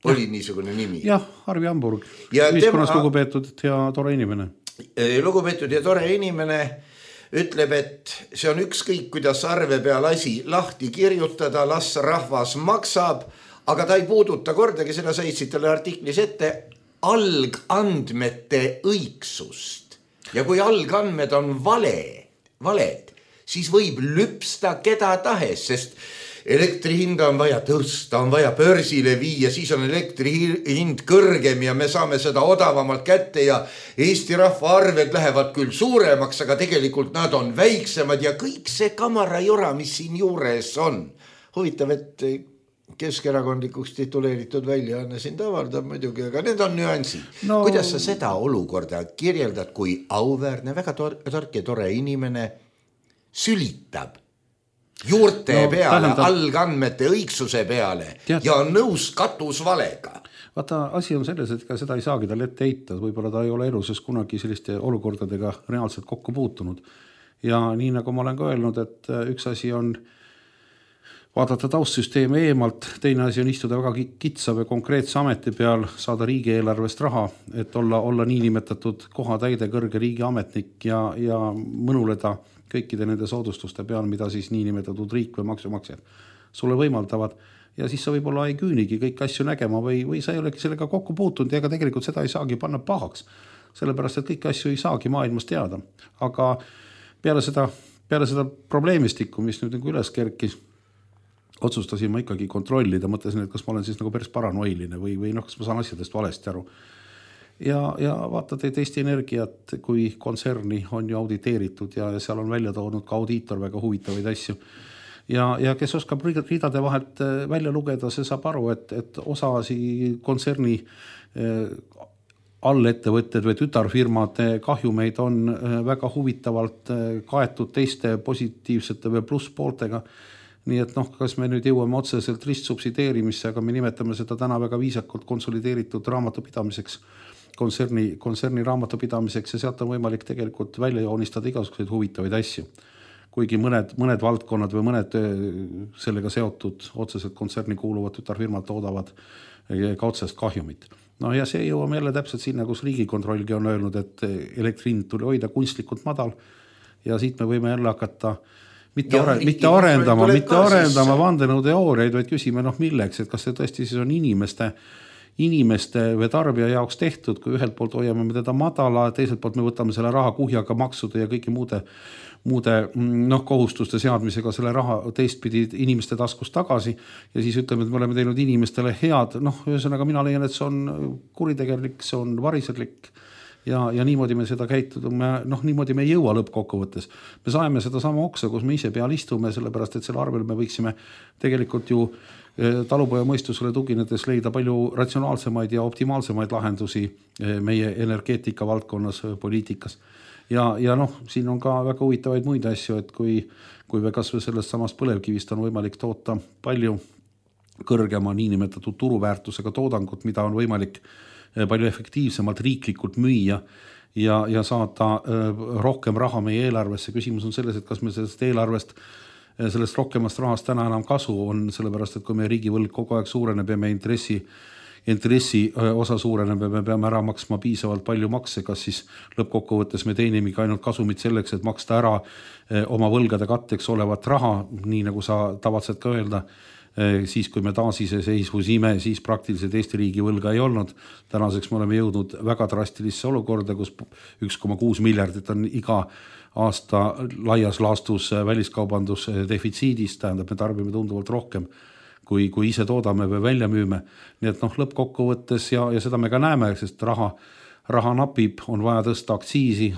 oli niisugune nimi. Jah, Arvi Hamburg, ühiskonnas lugupeetud ja tore inimene. Lugupeetud ja tore inimene ütleb, et see on ükskõik, kuidas arve peal asi lahti kirjutada, las rahvas maksab, aga ta ei puuduta kordagi, seda saitsid talle artiklis ette, algandmete õigsust. Ja kui algandmed on valed, siis võib lüpsta keda tahes, sest elektri hinda on vaja tõsta, on vaja börsile viia, siis on elektri hind kõrgem ja me saame seda odavamalt kätte ja Eesti rahva arved lähevad küll suuremaks, aga tegelikult nad on väiksemad ja kõik see kamarajura, mis siin juures on. Huvitav, et keskerakondlikuks tituleeritud väljaanne sind avaldab muidugi, aga need on nüansid. No, kuidas sa seda olukorda kirjeldad, kui auväärne, väga tark ja tore inimene sülitab juurte peale, algandmete õigsuse peale ja on nõus katusvalega? Vaata, asi on selles, et seda ei saagi tal ette heita, võib-olla ta ei ole eluses kunagi selliste olukordadega reaalselt kokku puutunud. Ja nii nagu ma olen ka öelnud, et üks asi on vaadata taustsüsteemi eemalt, teine asi on istuda väga kitsa või konkreetse ameti peal, saada riigieelarvest raha, et olla niinimetatud kohatäide kõrge riigiametnik ja mõnuleda kõikide nende soodustuste peal, mida siis niinimetatud riik või maksumaksjad sulle võimaldavad. Ja siis sa võib-olla ei küünigi kõik asju nägema või sa ei olegi sellega kokku puutunud ja ega tegelikult seda ei saagi panna pahaks, sellepärast et kõiki asju ei saagi maailmas teada. Aga peale seda probleemistikku, mis nüüd nagu üles kerkis, otsustasin ma ikkagi kontrollida, mõtlesin, et kas ma olen siis nagu päris paranoiline või kas ma saan asjadest valesti aru. Ja vaatad, et Eesti Energiat kui kontserni on ju auditeeritud ja seal on välja toonud ka audiitor väga huvitavaid asju. Ja kes oskab riidade vahelt välja lugeda, see saab aru, et osasi kontserni allettevõtted või tütarfirmade kahjumeid on väga huvitavalt kaetud teiste positiivsete või plusspooltega. Nii et kas me nüüd jõuame otseselt ristsubsideerimisse, aga me nimetame seda täna väga viisakult konsolideeritud raamatupidamiseks, kontserni raamatupidamiseks ja sealt on võimalik tegelikult välja joonistada igasuguseid huvitavaid asju. Kuigi mõned valdkonnad või mõned sellega seotud otseselt kontserni kuuluvad tütarfirmad toodavad ka otsest kahjumit. No ja see jõuame jälle täpselt sinna, kus Riigikontrollgi on öelnud, et elektrihind tuli hoida kunstlikult madal ja siit me võime jälle hakata mitte arendama vandenõuteooriaid, vaid küsime milleks, et kas see tõesti siis on inimeste või tarbija jaoks tehtud, kui ühelt poolt hoiame me teda madala, teiselt poolt me võtame selle raha kuhjaga maksude ja kõiki muude kohustuste seadmisega selle raha teistpidi inimeste taskust tagasi ja siis ütleme, et me oleme teinud inimestele head, ühesõnaga mina leian, et see on kuritegelik, see on variserlik ja niimoodi me seda käitume, niimoodi me ei jõua lõppkokkuvõttes. Me saame seda sama oksa, kus me ise peal istume, sellepärast et selle arvel me võiksime tegelikult ju talupoja mõistusele tuginedes leida palju ratsionaalsemaid ja optimaalsemaid lahendusi meie energeetika valdkonnas, poliitikas. Ja siin on ka väga huvitavaid muid asju, et kui me kas või sellest samast põlevkivist on võimalik toota palju kõrgema niinimetatud turuväärtusega toodangut, mida on võimalik palju efektiivsemalt riiklikult müüa ja saada rohkem raha meie eelarvesse. Küsimus on selles, et kas me sellest eelarvest, sellest rohkemast rahast täna enam kasu on, sellepärast et kui meie riigivõlg kogu aeg suureneb ja meie intressi osa suureneb ja me peame ära maksma piisavalt palju makse, kas siis lõppkokkuvõttes me teenimegi ainult kasumit selleks, et maksta ära oma võlgade katteks olevat raha, nii nagu sa tavatsed ka öelda, siis kui me taasiseseisvusime, siis praktiliselt Eesti riigi võlga ei olnud. Tänaseks me oleme jõudnud väga drastilisse olukorda, kus 1,6 miljardit on iga aasta laias laastus väliskaubandus defitsiidis, tähendab, me tarbime tunduvalt rohkem, kui ise toodame või välja müüme. Nii et lõppkokkuvõttes ja seda me ka näeme, sest raha napib, on vaja tõsta aktsiisi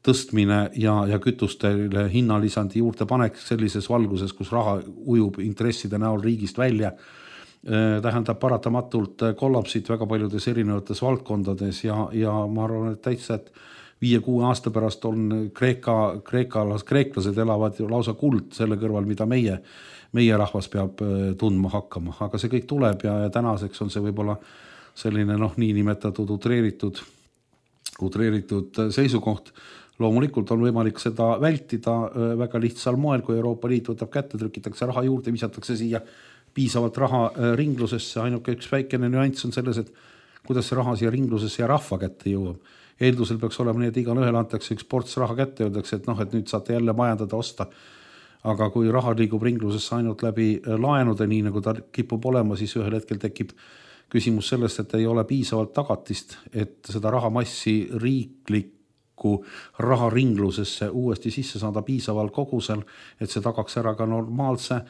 tõstmine ja kütustele hinnalisandi juurde panek sellises valguses, kus raha ujub intresside näol riigist välja, tähendab paratamatult kollapsid väga paljudes erinevates valdkondades ja ma arvan, et täitsa, et 5-6 aasta pärast on kreeklased elavad ju lausa kuld selle kõrval, mida meie rahvas peab tundma hakkama, aga see kõik tuleb ja tänaseks on see võib-olla selline niinimetatud utreeritud seisukoht. Loomulikult on võimalik seda vältida väga lihtsal moel, kui Euroopa Liit võtab kätte, trükitakse raha juurde, visatakse siia piisavalt raha ringlusesse, ainuke üks väikene nüanss on selles, et kuidas see raha siia ringlusesse ja rahva kätte jõuab. Eeldusel peaks olema nii, et igal ühel antakse üks ports raha kätte, öeldakse, et et nüüd saate jälle majandada osta. Aga kui raha liigub ringlusesse ainult läbi laenude, nii nagu ta kipub olema, siis ühel hetkel tekib küsimus sellest, et ei ole piisavalt tagatist, et seda rahamassi riiklikku raha ringlusesse uuesti sisse saada piisaval kogusel, et see tagaks ära ka normaalse,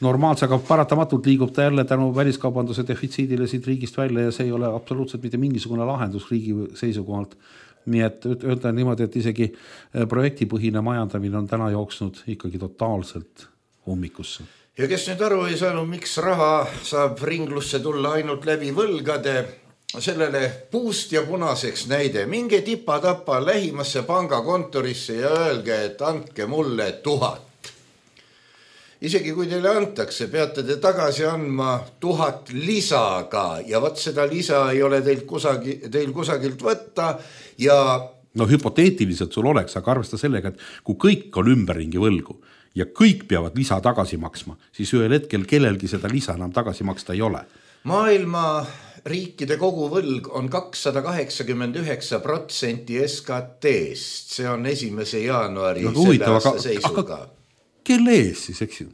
aga paratamatult liigub ta jälle tänu väliskaubanduse defitsiidile siit riigist välja ja see ei ole absoluutselt mitte mingisugune lahendus riigi seisukohalt. Nii et öelda niimoodi, et isegi projektipõhine majandamine on täna jooksnud ikkagi totaalselt ummikusse. Ja kes nüüd aru ei saanud, miks raha saab ringlusse tulla ainult läbi võlgade, sellele puust ja punaseks näide. Minge tipa-tapa lähimasse pangakontorisse ja öelge, et andke mulle 1000. Isegi kui teile antakse, peate te tagasi andma 1000 lisaga ja võt seda lisa ei ole teil kusagilt võtta ja... hüpoteetiliselt sul oleks, aga arvesta sellega, et kui kõik on ümberringi võlgu ja kõik peavad lisa tagasi maksma, siis ühel hetkel kellelgi seda lisa enam tagasi maksta ei ole. Maailma riikide koguvõlg on 289% SKT-st. See on 1. jaanuari selle aasta seisuga. Kelle ees siis, eks ju?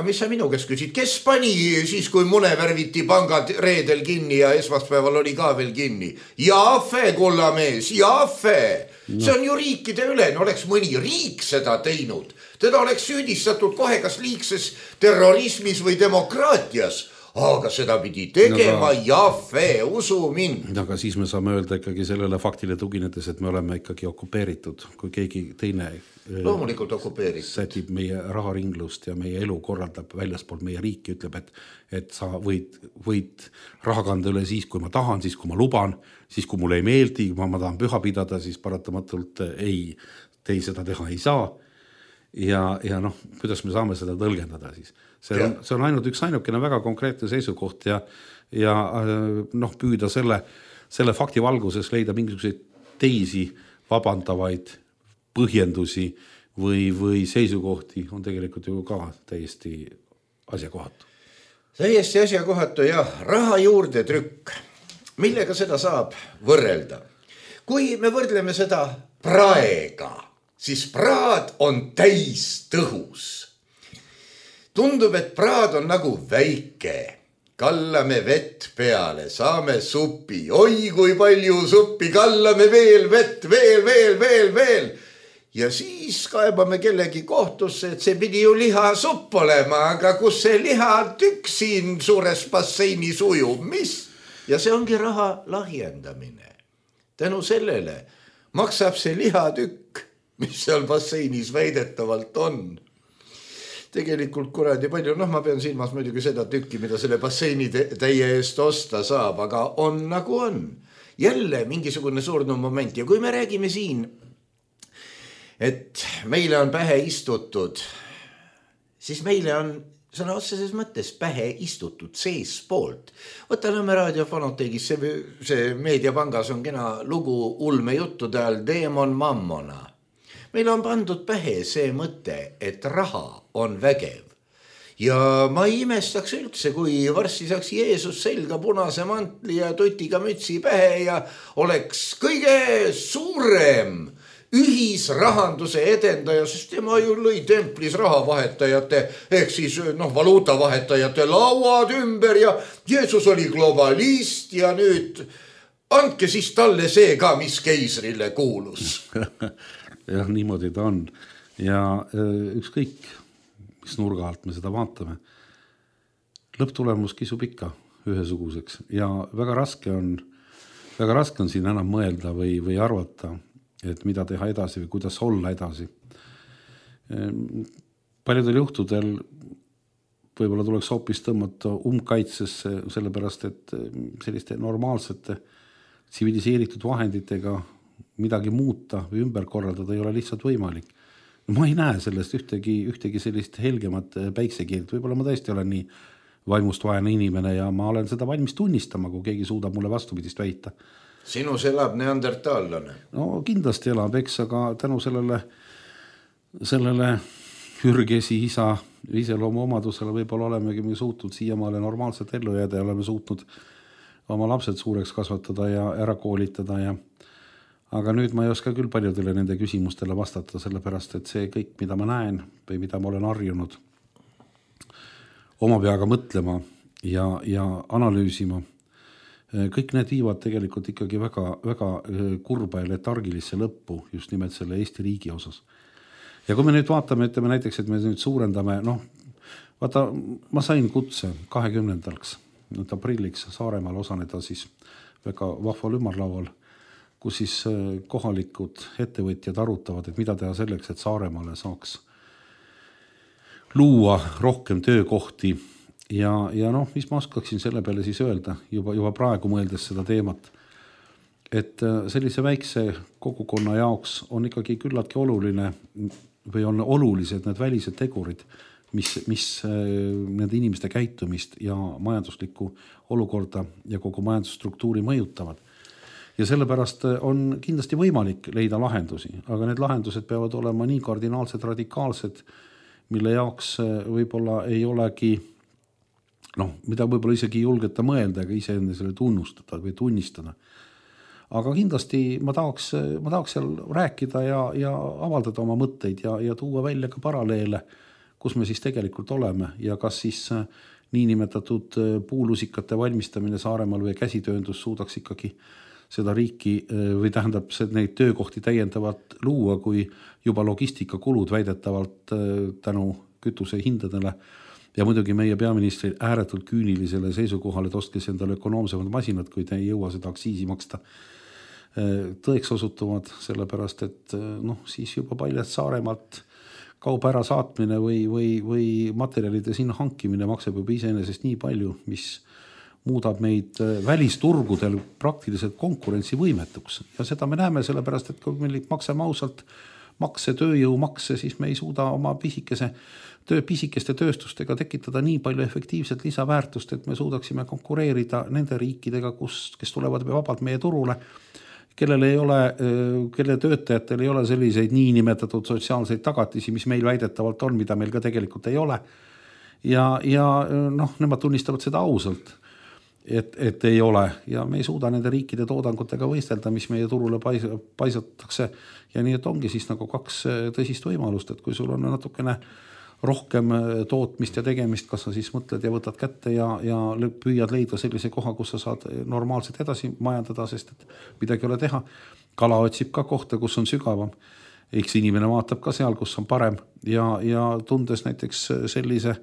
Mis sa minu käest küsid? Kes pani siis, kui mune värviti pangad reedel kinni ja esmaspäeval oli ka veel kinni? Jaafe, kullamees, jaafe! See on ju riikide üle, oleks mõni riik seda teinud. Teda oleks süüdistatud kohe kas liigses terrorismis või demokraatias. Aga seda pidi tegema jaafe, usu mind. Aga siis me saame öelda ikkagi sellele faktile tuginedes, et me oleme ikkagi okupeeritud, kui keegi teine loomulikult okupeeritud. Sätib meie raharinglust ja meie elu korraldab väljaspool meie riiki, ütleb, et sa võid raha kanda üle siis, kui ma tahan, siis kui ma luban, siis kui mulle ei meeldi, kui ma tahan püha pidada, siis paratamatult ei seda teha ei saa. Ja kuidas me saame seda tõlgendada siis? See on ainult üks ainukene väga konkreetne seisukoht ja püüda selle fakti valguses leida mingisuguseid teisi vabandavaid põhjendusi või seisukohti on tegelikult ju ka täiesti asjakohatu. Täiesti asjakohatu ja raha juurde trükk. Millega seda saab võrrelda? Kui me võrdleme seda praega, siis praad on täis tõhus. Tundub, et praad on nagu väike. Kallame vett peale, saame supi. Oi, kui palju suppi, kallame veel vett, veel. Ja siis kaebame kellegi kohtusse, et see pidi ju lihasupp olema, aga kus see lihatükk siin suures basseinis ujub, mis? Ja see ongi raha lahjendamine. Tänu sellele maksab see lihatükk, mis seal basseinis väidetavalt on. Tegelikult kuradi palju, ma pean silmas muidugi seda tükki, mida selle basseini täie eest osta saab, aga on nagu on. Jälle mingisugune surnud moment ja kui me räägime siin, et meile on pähe istutud, siis meile on sõna otseses mõttes pähe istutud sees poolt. Võta Nõmme raadio Fonoteegis, see meediapangas on kena lugu ulme juttude all Deemon Mammona. Meil on pandud pähe see mõte, et raha on vägev. Ja ma ei imestaks üldse, kui varsti saaks Jeesus selga punase mantli ja tutiga mütsi pähe ja oleks kõige suurem ühisrahanduse edendaja, sest tema ju lõi templis rahavahetajate, ehk siis valuutavahetajate lauad ümber ja Jeesus oli globalist ja nüüd andke siis talle see ka, mis keisrile kuulus. Ja niimoodi ta on. Ja ükskõik, mis nurga alt me seda vaatame, lõpptulemus kisub ikka ühesuguseks ja väga raske on siin enam mõelda või arvata, et mida teha edasi või kuidas olla edasi. Paljudel juhtudel võib-olla tuleks hoopis tõmmata umbkaitsesse, sellepärast et selliste normaalsete tsiviliseeritud vahenditega midagi muuta või ümber korraldada ei ole lihtsalt võimalik. Ma ei näe sellest ühtegi sellist helgemat päiksekiirt, võib-olla ma tõesti olen nii vaimust vaene inimene ja ma olen seda valmis tunnistama, kui keegi suudab mulle vastupidist väita. Sinus elab neandertaallane. No kindlasti elab, eks, aga tänu sellele ürgesi isa iseloomu omadusele võib-olla olemegi me suutnud siiamaale normaalselt ellu jääda ja oleme suutnud oma lapsed suureks kasvatada ja ära koolitada aga nüüd ma ei oska küll paljudele nende küsimustele vastata, sellepärast et see kõik, mida ma näen või mida ma olen harjunud oma peaga mõtlema ja analüüsima, kõik need viivad tegelikult ikkagi väga, väga kurba ja letargilisse lõppu just nimelt selle Eesti riigi osas. Ja kui me nüüd vaatame, ütleme näiteks, et me nüüd suurendame, vaata, ma sain kutse 20. aprilliks Saaremaal osaneda siis väga vahval ümarlaual, kus siis kohalikud ettevõtjad arutavad, et mida teha selleks, et Saaremaale saaks luua rohkem töökohti ja mis ma oskaksin selle peale siis öelda, juba praegu mõeldes seda teemat, et sellise väikse kogukonna jaoks on ikkagi küllaltki oluline või on olulised need välised tegurid, mis nende inimeste käitumist ja majanduslikku olukorda ja kogu majandusstruktuuri mõjutavad. Ja sellepärast on kindlasti võimalik leida lahendusi, aga need lahendused peavad olema nii kardinaalsed, radikaalsed, mille jaoks võib-olla ei olegi, mida võib-olla isegi julgeta mõelda, aga ise enne selle tunnustada või tunnistada. Aga kindlasti ma tahaks seal rääkida ja avaldada oma mõtteid ja tuua välja ka paralleele, kus me siis tegelikult oleme ja kas siis niinimetatud puulusikate valmistamine Saaremaal või käsitööndus suudaks ikkagi seda riiki või tähendab neid töökohti täiendavalt luua, kui juba logistikakulud väidetavalt tänu kütuse hindadele ja muidugi meie peaministri ääretult küünilisele seisukohale, et ostkes endale ökonoomsemad masinad, kui te ei jõua seda aktsiisi maksta, tõeks osutuvad, sellepärast et siis juba paljad Saaremaalt kauba ära saatmine või materjalide sinna hankimine maksab juba iseenesest nii palju, mis muudab meid välisturgudel praktiliselt konkurentsivõimetuks. Ja seda me näeme sellepärast, et kui meil maksame ausalt tööjõumakse, siis me ei suuda oma pisikeste tööstustega tekitada nii palju efektiivset lisaväärtust, et me suudaksime konkureerida nende riikidega, kes tulevad vabalt meie turule, kelle töötajatel ei ole selliseid niinimetatud sotsiaalseid tagatisi, mis meil väidetavalt on, mida meil ka tegelikult ei ole. Ja nemad tunnistavad seda ausalt, et ei ole ja me ei suuda nende riikide toodangutega võistelda, mis meie turule paisatakse ja nii, et ongi siis nagu kaks tõsist võimalust, et kui sul on natukene rohkem tootmist ja tegemist, kas sa siis mõtled ja võtad kätte ja püüad leida sellise koha, kus sa saad normaalselt edasi majandada, sest et midagi ei ole teha. Kala otsib ka kohta, kus on sügavam. Eks inimene vaatab ka seal, kus on parem ja tundes näiteks sellise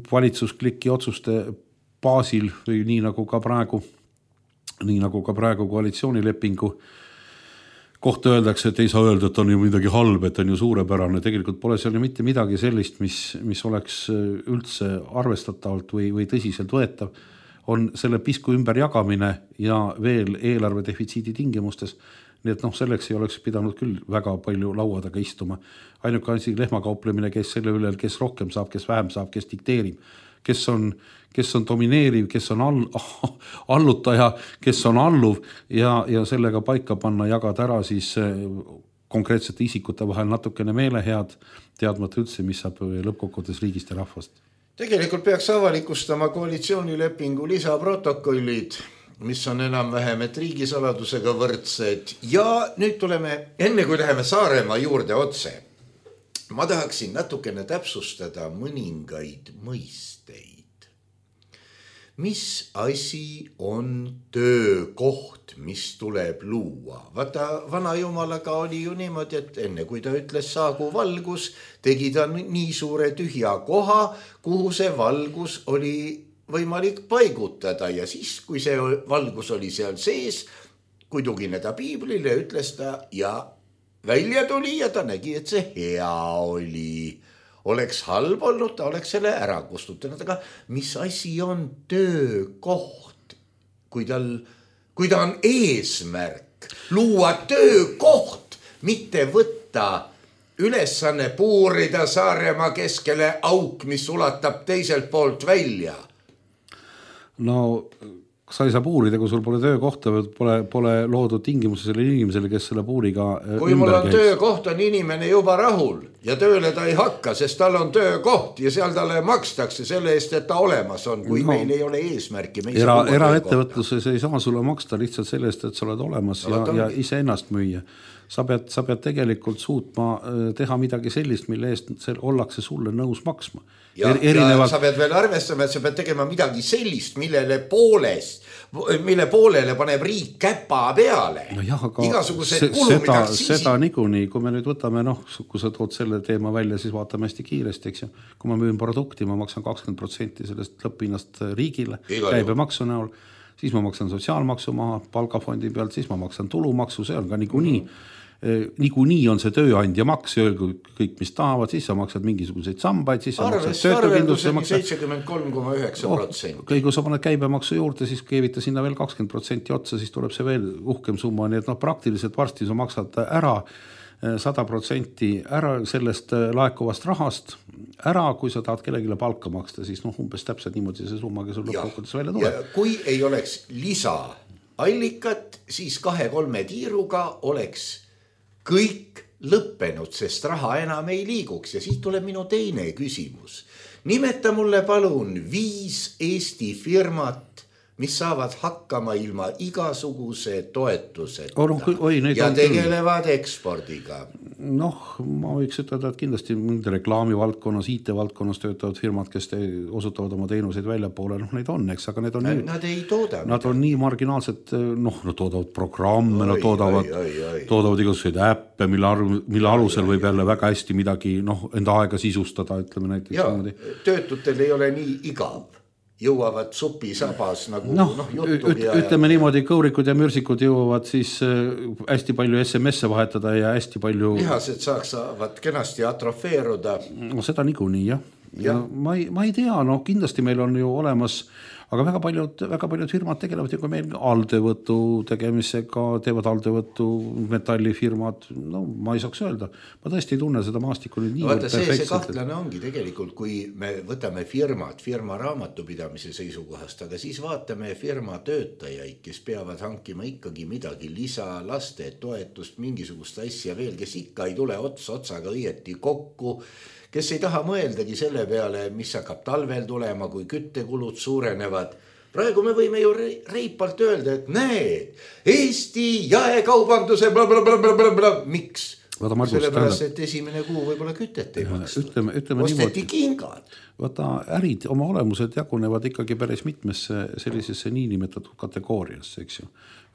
valitsusklikki otsuste baasil või nii nagu ka praegu koalitsioonilepingu kohta öeldakse, et ei saa öelda, et on ju midagi halb, et on ju suurepärane. Tegelikult pole seal ju mitte midagi sellist, mis oleks üldse arvestatavalt või tõsiselt võetav. On selle pisku ümber jagamine ja veel eelarve defitsiidi tingimustes. Nii et selleks ei oleks pidanud küll väga palju laua taga istuma. Ainuke asi lehmakauplemine, kes selle üle, kes rohkem saab, kes vähem saab, kes dikteerib. Kes on domineeriv, kes on allutaja, kes on alluv ja sellega paika panna, jagada ära siis konkreetsete isikute vahel natukene meelehead, teadmata üldse, mis saab lõppkokkuvõttes riigist ja rahvast. Tegelikult peaks avalikustama koalitsioonilepingu lisaprotokollid, mis on enam-vähem, et riigisaladusega võrdsed. Ja nüüd tuleme, enne kui läheme Saaremaa juurde otse, ma tahaksin natukene täpsustada mõningaid mõisteid. Mis asi on töökoht, mis tuleb luua? Vaata, vana jumalaga oli ju niimoodi, et enne kui ta ütles saagu valgus, tegi ta nii suure tühja koha, kuhu see valgus oli võimalik paigutada ja siis, kui see valgus oli seal sees, kui tugineda piiblile, ütles ta ja välja tuli ja ta nägi, et see hea oli. Oleks halb olnud, ta oleks selle ära kustutanud, aga mis asi on töökoht, kui ta on eesmärk, luua töökoht, mitte võtta ülesanne puurida Saaremaa keskele auk, mis ulatab teiselt poolt välja. No sa ei saa puurida, kui sul pole töökohta, pole loodud tingimusi sellele inimesele, kes selle puuriga kui mul on töökoht, on inimene juba rahul ja tööle ta ei hakka, sest tal on töökoht ja seal talle makstakse selle eest, et ta olemas on, kui meil ei ole eesmärki. Eraettevõtluses ei saa sulle maksta lihtsalt selle eest, et sa oled olemas ja ise ennast müüa. Sa pead tegelikult suutma teha midagi sellist, mille eest ollakse sulle nõus maksma. Ja sa pead veel arvestama, et sa pead tegema midagi sellist, mille poolele paneb riik käpa peale. No jah, aga seda niikuinii, kui me nüüd võtame, kui sa tood selle teema välja, siis vaatame hästi kiiresti, eks ju. Kui ma müün produkti, ma maksan 20% sellest lõpphinnast riigile, käibemaksu näol, siis ma maksan sotsiaalmaksu maha, palgafondi pealt, siis ma maksan tulumaksu, see on ka niikuinii. Niikuinii on see tööandja maks, kõik mis tahavad, siis sa maksad mingisuguseid sambaid, siis sa maksad töötukindlustuse maksa. 73,9%. Kui sa paned käibemaksu juurde, siis keevita sinna veel 20% otsa, siis tuleb see veel uhkem summa, nii et praktiliselt varsti sa maksad ära 100% ära sellest laekuvast rahast ära, kui sa tahad kellegile palka maksta, siis umbes täpselt niimoodi see summa, kes sul lõppkokkuvõttes välja tuleb. Kui ei oleks lisaallikat, siis 2-3 tiiruga oleks kõik lõppenud, sest raha enam ei liiguks. Ja siit tuleb minu teine küsimus. Nimeta mulle palun 5 Eesti firmat, mis saavad hakkama ilma igasuguse toetuseta ja tegelevad ekspordiga. Ma võiks ütelda, et kindlasti reklaamivaldkonnas, IT-valdkonnas töötavad firmad, kes osutavad oma teenuseid väljapoole, neid on, eks, aga nad ei tooda. Nad on nii marginaalsed, nad toodavad programme, nad toodavad igasuguseid äppe, mille alusel võib jälle väga hästi midagi enda aega sisustada, ütleme näiteks. Ja, töötutel ei ole nii igav. Jõuavad supisabas nagu juttub ütleme niimoodi, kõurikud ja mürsikud jõuavad siis hästi palju SMS-e vahetada ja hästi palju lihased saavad kenasti atrofeeruda. Seda niikuinii, jah. Ja ma ei tea, kindlasti meil on ju olemas, aga väga paljud firmad tegelevad ju ka meil alltöövõtu tegemisega, teevad alltöövõtu metallifirmad, ma ei saaks öelda. Ma tõesti ei tunne seda maastikku nüüd nii perfektselt. See kahtlane ongi tegelikult, kui me võtame firma raamatupidamise seisukohast, aga siis vaatame firma töötajaid, kes peavad hankima ikkagi midagi lisa, laste toetust, mingisugust asja veel, kes ikka ei tule otsaga õieti kokku, kes ei taha mõeldagi selle peale, mis hakkab talvel tulema, kui küttekulud suurenevad. Praegu me võime ju reipalt öelda, et näed, Eesti jaekaubanduse blablabla. Miks? Sellepärast, et esimene kuu võib-olla kütet ei maksta. Osteti kingad. Ärid oma olemused jagunevad ikkagi päris mitmesse sellisesse niinimetatud kategooriasse, eks ju.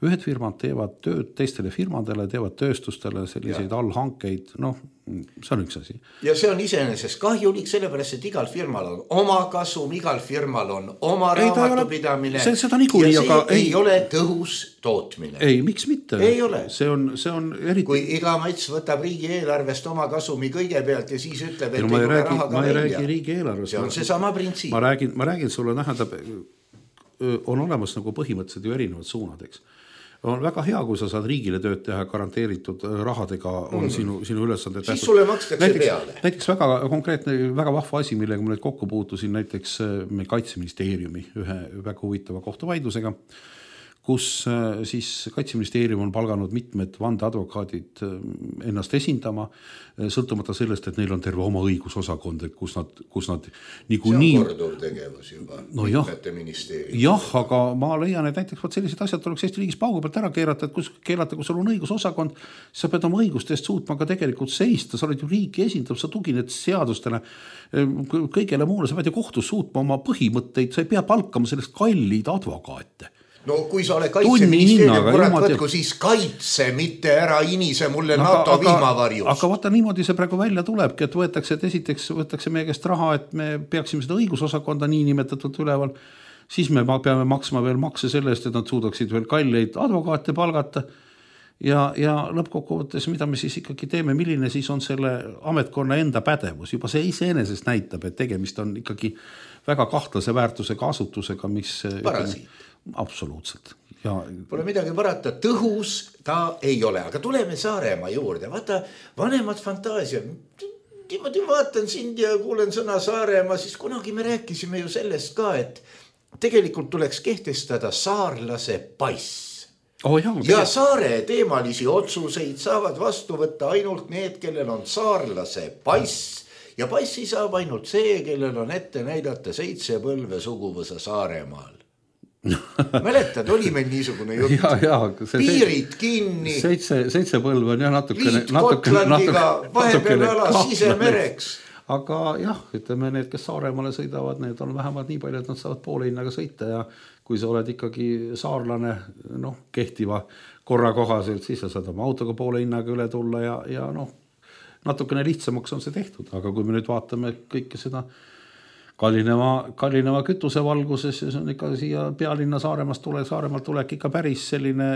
Ühed firmad teevad tööd teistele firmadele, teevad tööstustele selliseid allhankeid, see on üks asi. Ja see on iseenesest kahjulik, sellepärast, et igal firmal on oma kasum, igal firmal on oma raamatupidamine ja see ei ole tõhus tootmine. Ei, miks mitte? Ei ole. See on eriti... Kui iga mats võtab riigieelarvest oma kasumi kõigepealt ja siis ütleb, et ma ei räägi riigieelarvest. See on see sama printsiip. Ma räägin sulle, on olemas nagu põhimõtteliselt ju erinevad suunad, eks. On väga hea, kui sa saad riigile tööd teha, garanteeritud rahadega on sinu ülesande. Siis sulle makstakse peale. Näiteks väga konkreetne, väga vahva asi, millega ma nüüd kokku puutusin näiteks meil Kaitseministeeriumi ühe väga huvitava kohtuvaidlusega, kus siis Kaitseministeerium on palganud mitmed vandeadvokaadid ennast esindama, sõltumata sellest, et neil on terve oma õigusosakond, kus nad niikuinii... See on korduv tegevus juba, mitmete ministeeriumi. Jah, aga ma leian, et näiteks sellised asjad tuleks Eesti riigis paugu pealt ära keerata, et kui sul on õigusosakond, sa pead oma õigustest suutma ka tegelikult seista, sa oled ju riiki esindab, sa tugined seadustele, kõigele muule, sa pead ju kohtus suutma oma põhimõtteid, sa ei pea palkama sellest kallid advokaate. No kui sa ole Kaitseministeerium, kurat võtku siis kaitse, mitte ära inise mulle NATO vihmavarjus. Aga vaata niimoodi see praegu välja tulebki, et võetakse meie käest raha, et me peaksime seda õigusosakonda nii nimetatult üleval, siis me peame maksma veel makse selle eest, et nad suudaksid veel kalleid advokaate palgata ja lõppkokkuvõttes, mida me siis ikkagi teeme, milline siis on selle ametkonna enda pädevus. Juba see iseenesest näitab, et tegemist on ikkagi väga kahtlase väärtusega asutusega, mis... Parasiit. Absoluutselt. Pole midagi parata, tõhus ta ei ole, aga tuleme Saaremaa juurde. Vaata, vanemad fantaasiad. Niimoodi vaatan sind ja kuulen sõna Saaremaa, siis kunagi me rääkisime ju sellest ka, et tegelikult tuleks kehtestada saarlase pass. Ja saare teemalisi otsuseid saavad vastu võtta ainult need, kellel on saarlase pass. Ja passi saab ainult see, kellel on ette näidata 7 põlve suguvõsa Saaremaal. Mäletad, oli meil niisugune jutt. Piirid kinni. 7 põlve on jah natukene. Liit Gotlandiga, vahepeal ala sisemereks. Aga jah, ütleme need, kes Saaremaale sõidavad, need on vähemalt nii palju, et nad saavad poole hinnaga sõita ja kui sa oled ikkagi saarlane kehtiva korra kohaselt, siis sa saad oma autoga poole hinnaga üle tulla ja natukene lihtsamaks on see tehtud, aga kui me nüüd vaatame kõike seda kallineva kütuse valguses, siis on ikka siia pealinna Saaremaalt tulek ikka päris selline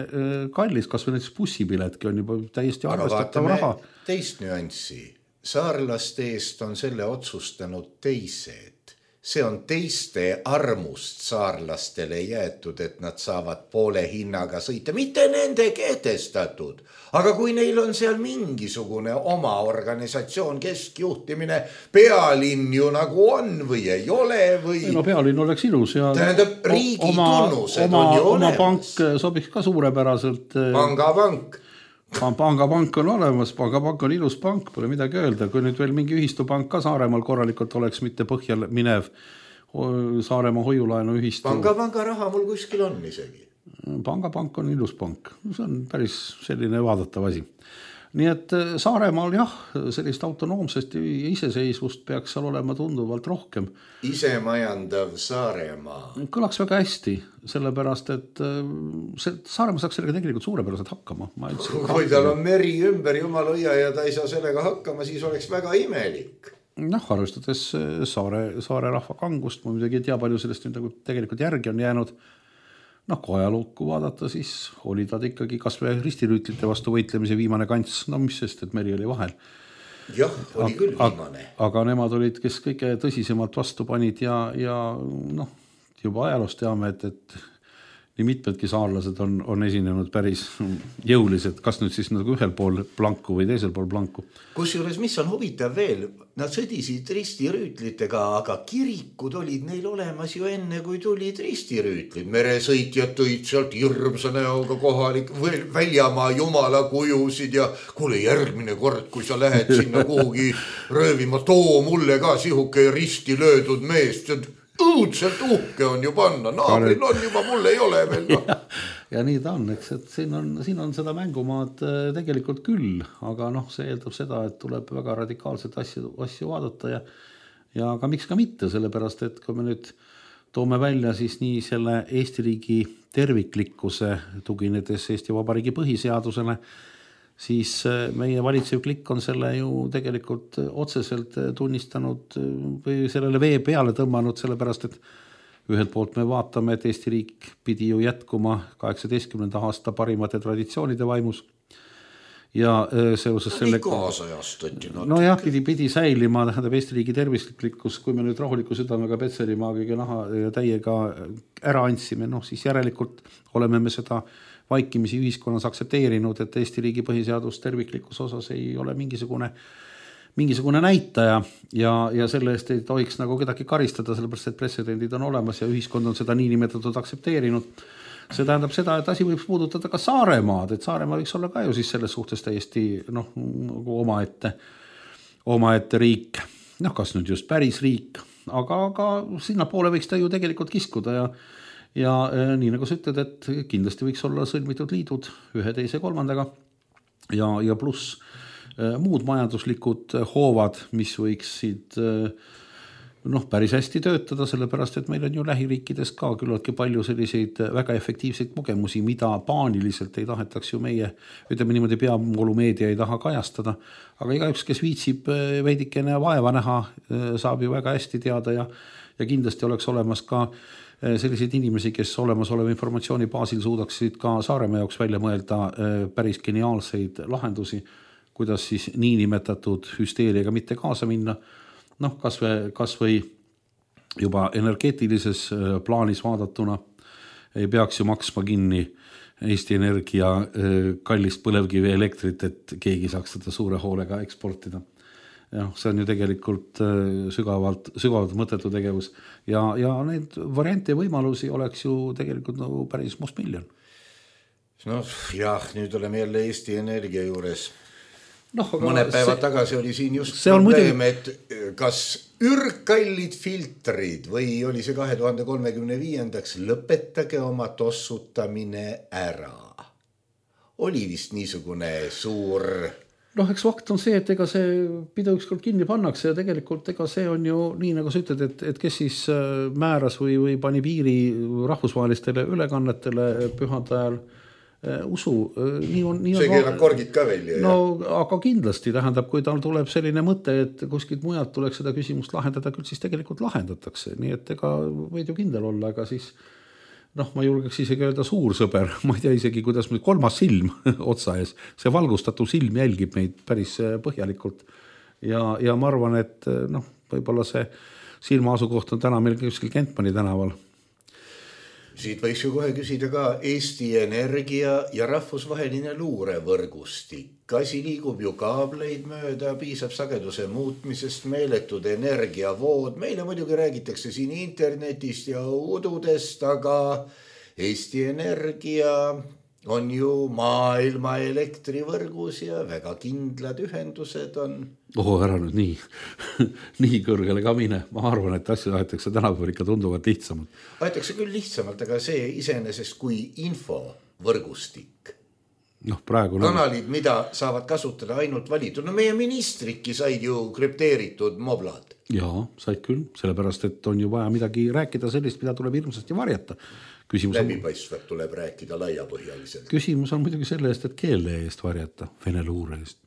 kallis, kas või näiteks bussipiletki on juba täiesti arvestatav raha. Teist nüanssi. Saarlaste eest on selle otsustanud teised. See on teiste armust saarlastele jäetud, et nad saavad poole hinnaga sõita. Mitte nende kehtestatud. Aga kui neil on seal mingisugune oma organisatsioon, keskjuhtimine, pealinn ju nagu on või ei ole või... No pealinn oleks ilus ja... Tähendab, riigi tunnused on ju olemas. Oma pank sobiks ka suurepäraselt. Pangapank on olemas, pangapank on ilus pank, pole midagi öelda. Kui nüüd veel mingi ühistupank ka Saaremaal korralikult oleks, mitte põhjal minev Saaremaa hoiulaenu ühistu. Panga raha mul kuskil on isegi. Pangapank on ilus pank. See on päris selline vaadatav asi. Nii et Saaremaal jah, sellist autonoomsest iseseisvust peaks seal olema tunduvalt rohkem. Isemajandav Saaremaa. Kõlaks väga hästi, sellepärast, et Saaremaa saaks sellega tegelikult suurepäraselt hakkama. Kui tal on meri ümber jumaloia ja ta ei saa sellega hakkama, siis oleks väga imelik. Arvestades saare rahva kangust, ma midagi ei tea palju sellest tegelikult järgi on jäänud. Kui ajalukku vaadata, siis oli ta ikkagi kas või ristirüütlite vastu võitlemise viimane kants. Mis sest, et meri oli vahel. Jah, oli küll viimane. Aga nemad olid, kes kõige tõsisemalt vastu panid ja juba ajaloost teame, et nii mitmedki saarlased on esinenud päris jõulised, kas nüüd siis nagu ühel pool planku või teisel pool planku. Kusjuures, mis on huvitav veel, nad sõdisid ristirüütlitega, aga kirikud olid neil olemas ju enne, kui tulid ristirüütlid. Meresõitjad tõid sealt hirmsa näoga kohalik väljamaa jumala kujusid ja kuule järgmine kord, kui sa lähed sinna kuhugi röövima, too mulle ka sihuke risti löödud meest, õudselt uhke on ju panna, naabril on juba, mul ei ole veel. Ja nii ta on, eks, et siin on seda mängumaad tegelikult küll, aga see eeldab seda, et tuleb väga radikaalset asju vaadata ja ka miks ka mitte, sellepärast, et kui me nüüd toome välja siis nii selle Eesti riigi terviklikkuse tuginedes Eesti Vabariigi põhiseadusele, siis meie valitsev klikk on selle ju tegelikult otseselt tunnistanud või sellele vee peale tõmmanud, sellepärast, et ühelt poolt me vaatame, et Eesti riik pidi ju jätkuma 18. aasta parimate traditsioonide vaimus. Ja seoses selle... pidi säilima, tähendab Eesti riigi tervislikkus, kui me nüüd rahuliku südamega Petserimaagiga naha ja täiega ära andsime, siis järelikult oleme me seda vaikimisi ühiskonnas aksepteerinud, et Eesti riigi põhiseadus terviklikus osas ei ole mingisugune näitaja ja selle eest ei tohiks nagu kedagi karistada, sellepärast, et pretsedendid on olemas ja ühiskond on seda niinimetatud aktsepteerinud. See tähendab seda, et asi võib puudutada ka Saaremaad, et Saaremaa võiks olla ka ju siis selles suhtes täiesti omaette riik. Kas nüüd just päris riik, aga sinna poole võiks ta ju tegelikult kiskuda ja nii nagu sa ütled, et kindlasti võiks olla sõlmitud liidud ühe, teise, kolmandaga ja pluss muud majanduslikud hoovad, mis võiksid päris hästi töötada, sellepärast, et meil on ju lähiriikides ka küllaltki palju selliseid väga efektiivseid kogemusi, mida paaniliselt ei tahetaks ju meie, ütleme niimoodi peavoolumeedia ei taha kajastada, aga igaüks, kes viitsib veidikene vaeva näha, saab ju väga hästi teada ja kindlasti oleks olemas ka selliseid inimesi, kes olemasoleva informatsiooni baasil suudaksid ka Saaremaa jaoks välja mõelda päris geniaalseid lahendusi, kuidas siis niinimetatud hüsteeriaga mitte kaasa minna. Kas või juba energeetilises plaanis vaadatuna, ei peaks ju maksma kinni Eesti Energia kallist põlevkivi elektrit, et keegi saaks seda suure hoolega eksportida. Ja, see on ju tegelikult sügavalt mõttetu tegevus ja need variante ja võimalusi oleks ju tegelikult nagu päris mustmiljon. No jah, nüüd oleme jälle Eesti Energia juures. Mõne päeva tagasi oli siin just probleem, et kas ürgkallid filtrid või oli see 2035. lõpetage oma tossutamine ära. Oli vist niisugune suur... Eks fakt on see, et ega see pidu ükskord kinni pannakse ja tegelikult ega see on ju nii, nagu sa ütled, et kes siis määras või pani piiri rahvusvahelistele ülekannetele pühade ajal usu. See keelab korgid ka välja. No, aga kindlasti tähendab, kui tal tuleb selline mõte, et kuskilt mujalt tuleks seda küsimust lahendada, küll siis tegelikult lahendatakse. Nii et ega võid ju kindel olla, aga siis ma julgeks isegi öelda suur sõber. Ma ei tea isegi, kuidas meil 3. silm otsa ees. See valgustatud silm jälgib meid päris põhjalikult. Ja ma arvan, et võib-olla see silma asukoht on täna meil kuskil Kentmani tänaval. Siit võiks ju kohe küsida ka Eesti Energia ja rahvusvaheline luurevõrgustik. Asi liigub ju kaableid mööda, piisab sageduse muutmisest, meeletud energiavood. Meile muidugi räägitakse siin internetist ja ududest, aga Eesti Energia on ju maailma elektrivõrgus ja väga kindlad ühendused on. Ära nüüd nii kõrgele ka mine. Ma arvan, et asju aetakse tänapäeval ikka tunduvalt lihtsamalt. Aetakse küll lihtsamalt, aga see iseenesest kui infovõrgustik. Kanalid, mida saavad kasutada ainult valitud. Meie ministrikki said ju krüpteeritud moblad. Jaa, said küll, sellepärast, et on ju vaja midagi rääkida sellist, mida tuleb hirmsasti varjata. Läbipaistvat tuleb rääkida laiapõhjaliselt. Küsimus on muidugi selle eest, et keele eest varjata, vene luure eest.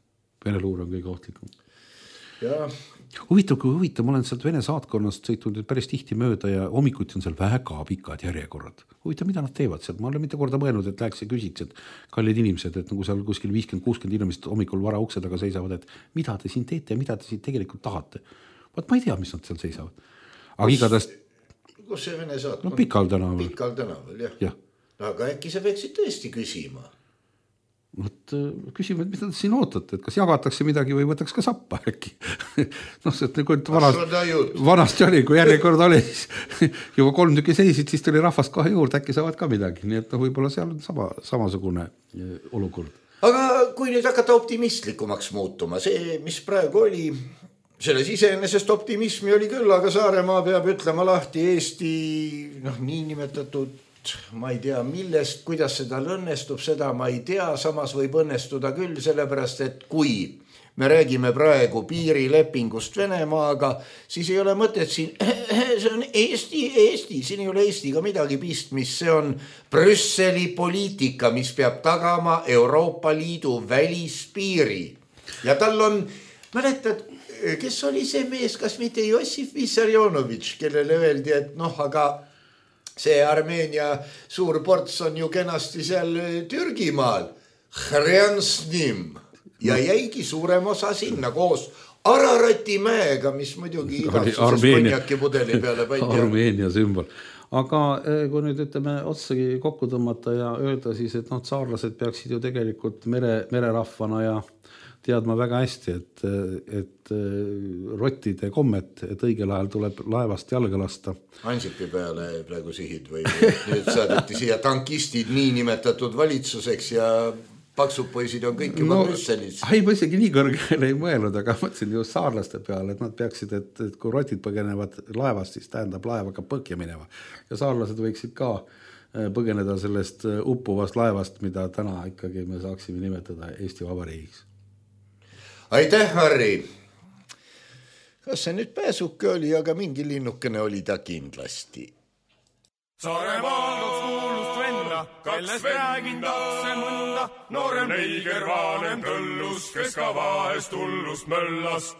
Vene luure on kõige ohtlikum. Huvitav, ma olen sealt Vene saatkonnast sõitnud päris tihti mööda ja hommikuti on seal väga pikad järjekorrad. Huvitav, mida nad teevad sealt? Ma olen mitte korda mõelnud, et läheks ja küsiks, et kallid inimesed, et nagu seal kuskil 50-60 inimesed hommikul vara ukse taga seisavad, et mida te siin teete ja mida te siin tegelikult tahate. Vaat ma ei tea, mis nad seal seisavad. Aga igatahes... Kus see Vene saatkond? Pikal tänaval. Pikal tänaval, jah. Aga äkki sa peaksid tõesti küsima? Küsime, et mida te siin ootate, et kas jagatakse midagi või võtaks ka sappa äkki. Vanasti oli, kui järjekord oli, juba 3 tükki seisid, siis tuli rahvast kohe juurde, äkki saavad ka midagi. Nii et võib-olla seal on samasugune olukord. Aga kui nüüd hakata optimistlikumaks muutuma, see, mis praegu oli, selles iseenesest optimismi oli küll, aga Saaremaa peab ütlema lahti Eesti niinimetatud ma ei tea millest, kuidas seda õnnestub, seda ma ei tea, samas võib õnnestuda küll, sellepärast, et kui me räägime praegu piirilepingust Venemaaga, siis ei ole mõtet siin, see on Eesti, siin ei ole Eestiga midagi pistmist, see on Brüsseli poliitika, mis peab tagama Euroopa Liidu välispiiri. Ja tal on, mäletad, kes oli see mees, kas mitte Jossif Vissarionovitš, kellele öeldi, et aga see Armeenia suur ports on ju kenasti seal Türgimaal. Hrjansnim. Ja jäigi suurem osa sinna koos Ararati mäega, mis muidugi igatsuses konjaki pudeli peale pandi. Armeenia sümbol. Aga kui nüüd ütleme otsagi kokku tõmmata ja öelda siis, et saarlased peaksid ju tegelikult mererahvana ja teadma väga hästi, et rottide kommet, et õigel ajal tuleb laevast jalga lasta. Ansipi peale praegu sihid või nüüd saadeti siia tankistid niinimetatud valitsuseks ja paksud poisid on kõik juba Brüsselis. Ei, ma isegi nii kõrgele ei mõelnud, aga mõtlesin just saarlaste peale, et nad peaksid, et kui rotid põgenevad laevast, siis tähendab laevaga põhja mineva. Ja saarlased võiksid ka põgeneda sellest uppuvast laevast, mida täna ikkagi me saaksime nimetada Eesti Vabariigiks. Aitäh, Harri! Kas see nüüd pääsuke oli, aga mingi linnukene oli ta kindlasti. Saaremaal on kuulust venna, kellest räägin takse mõnda, noorem neiger vanem tõllus, kes ka vahest hullust möllas.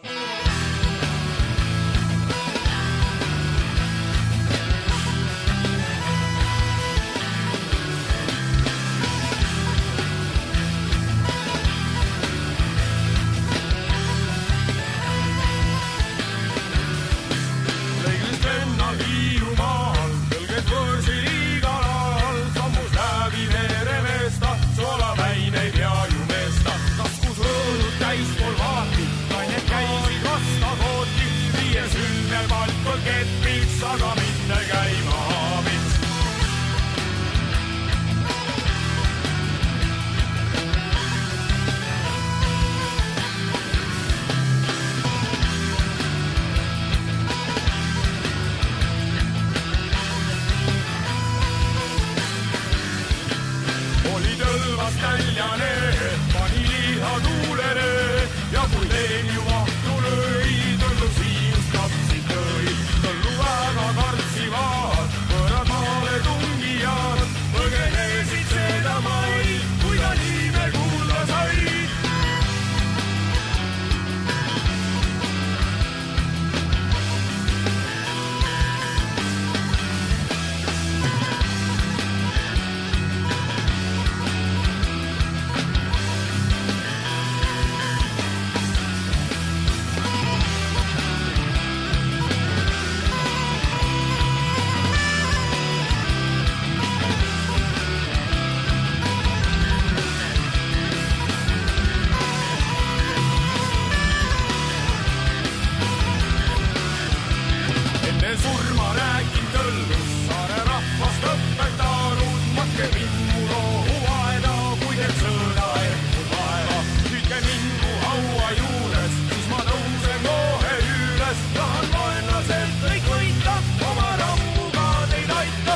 surma räägin tõllus, saare rahvast õpetarud, matke mingu rohu vaeda, kui teeb sõõda ehkud vaeva. Tüüke mingu haua juures, siis ma tõusen kohe üles, tahan vaenlaselt kõik võita, oma rammuga teid aita.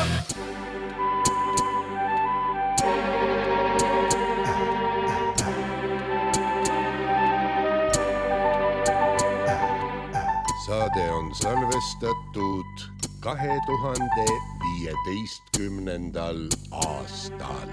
Saade on salvestatud 2015. aastal.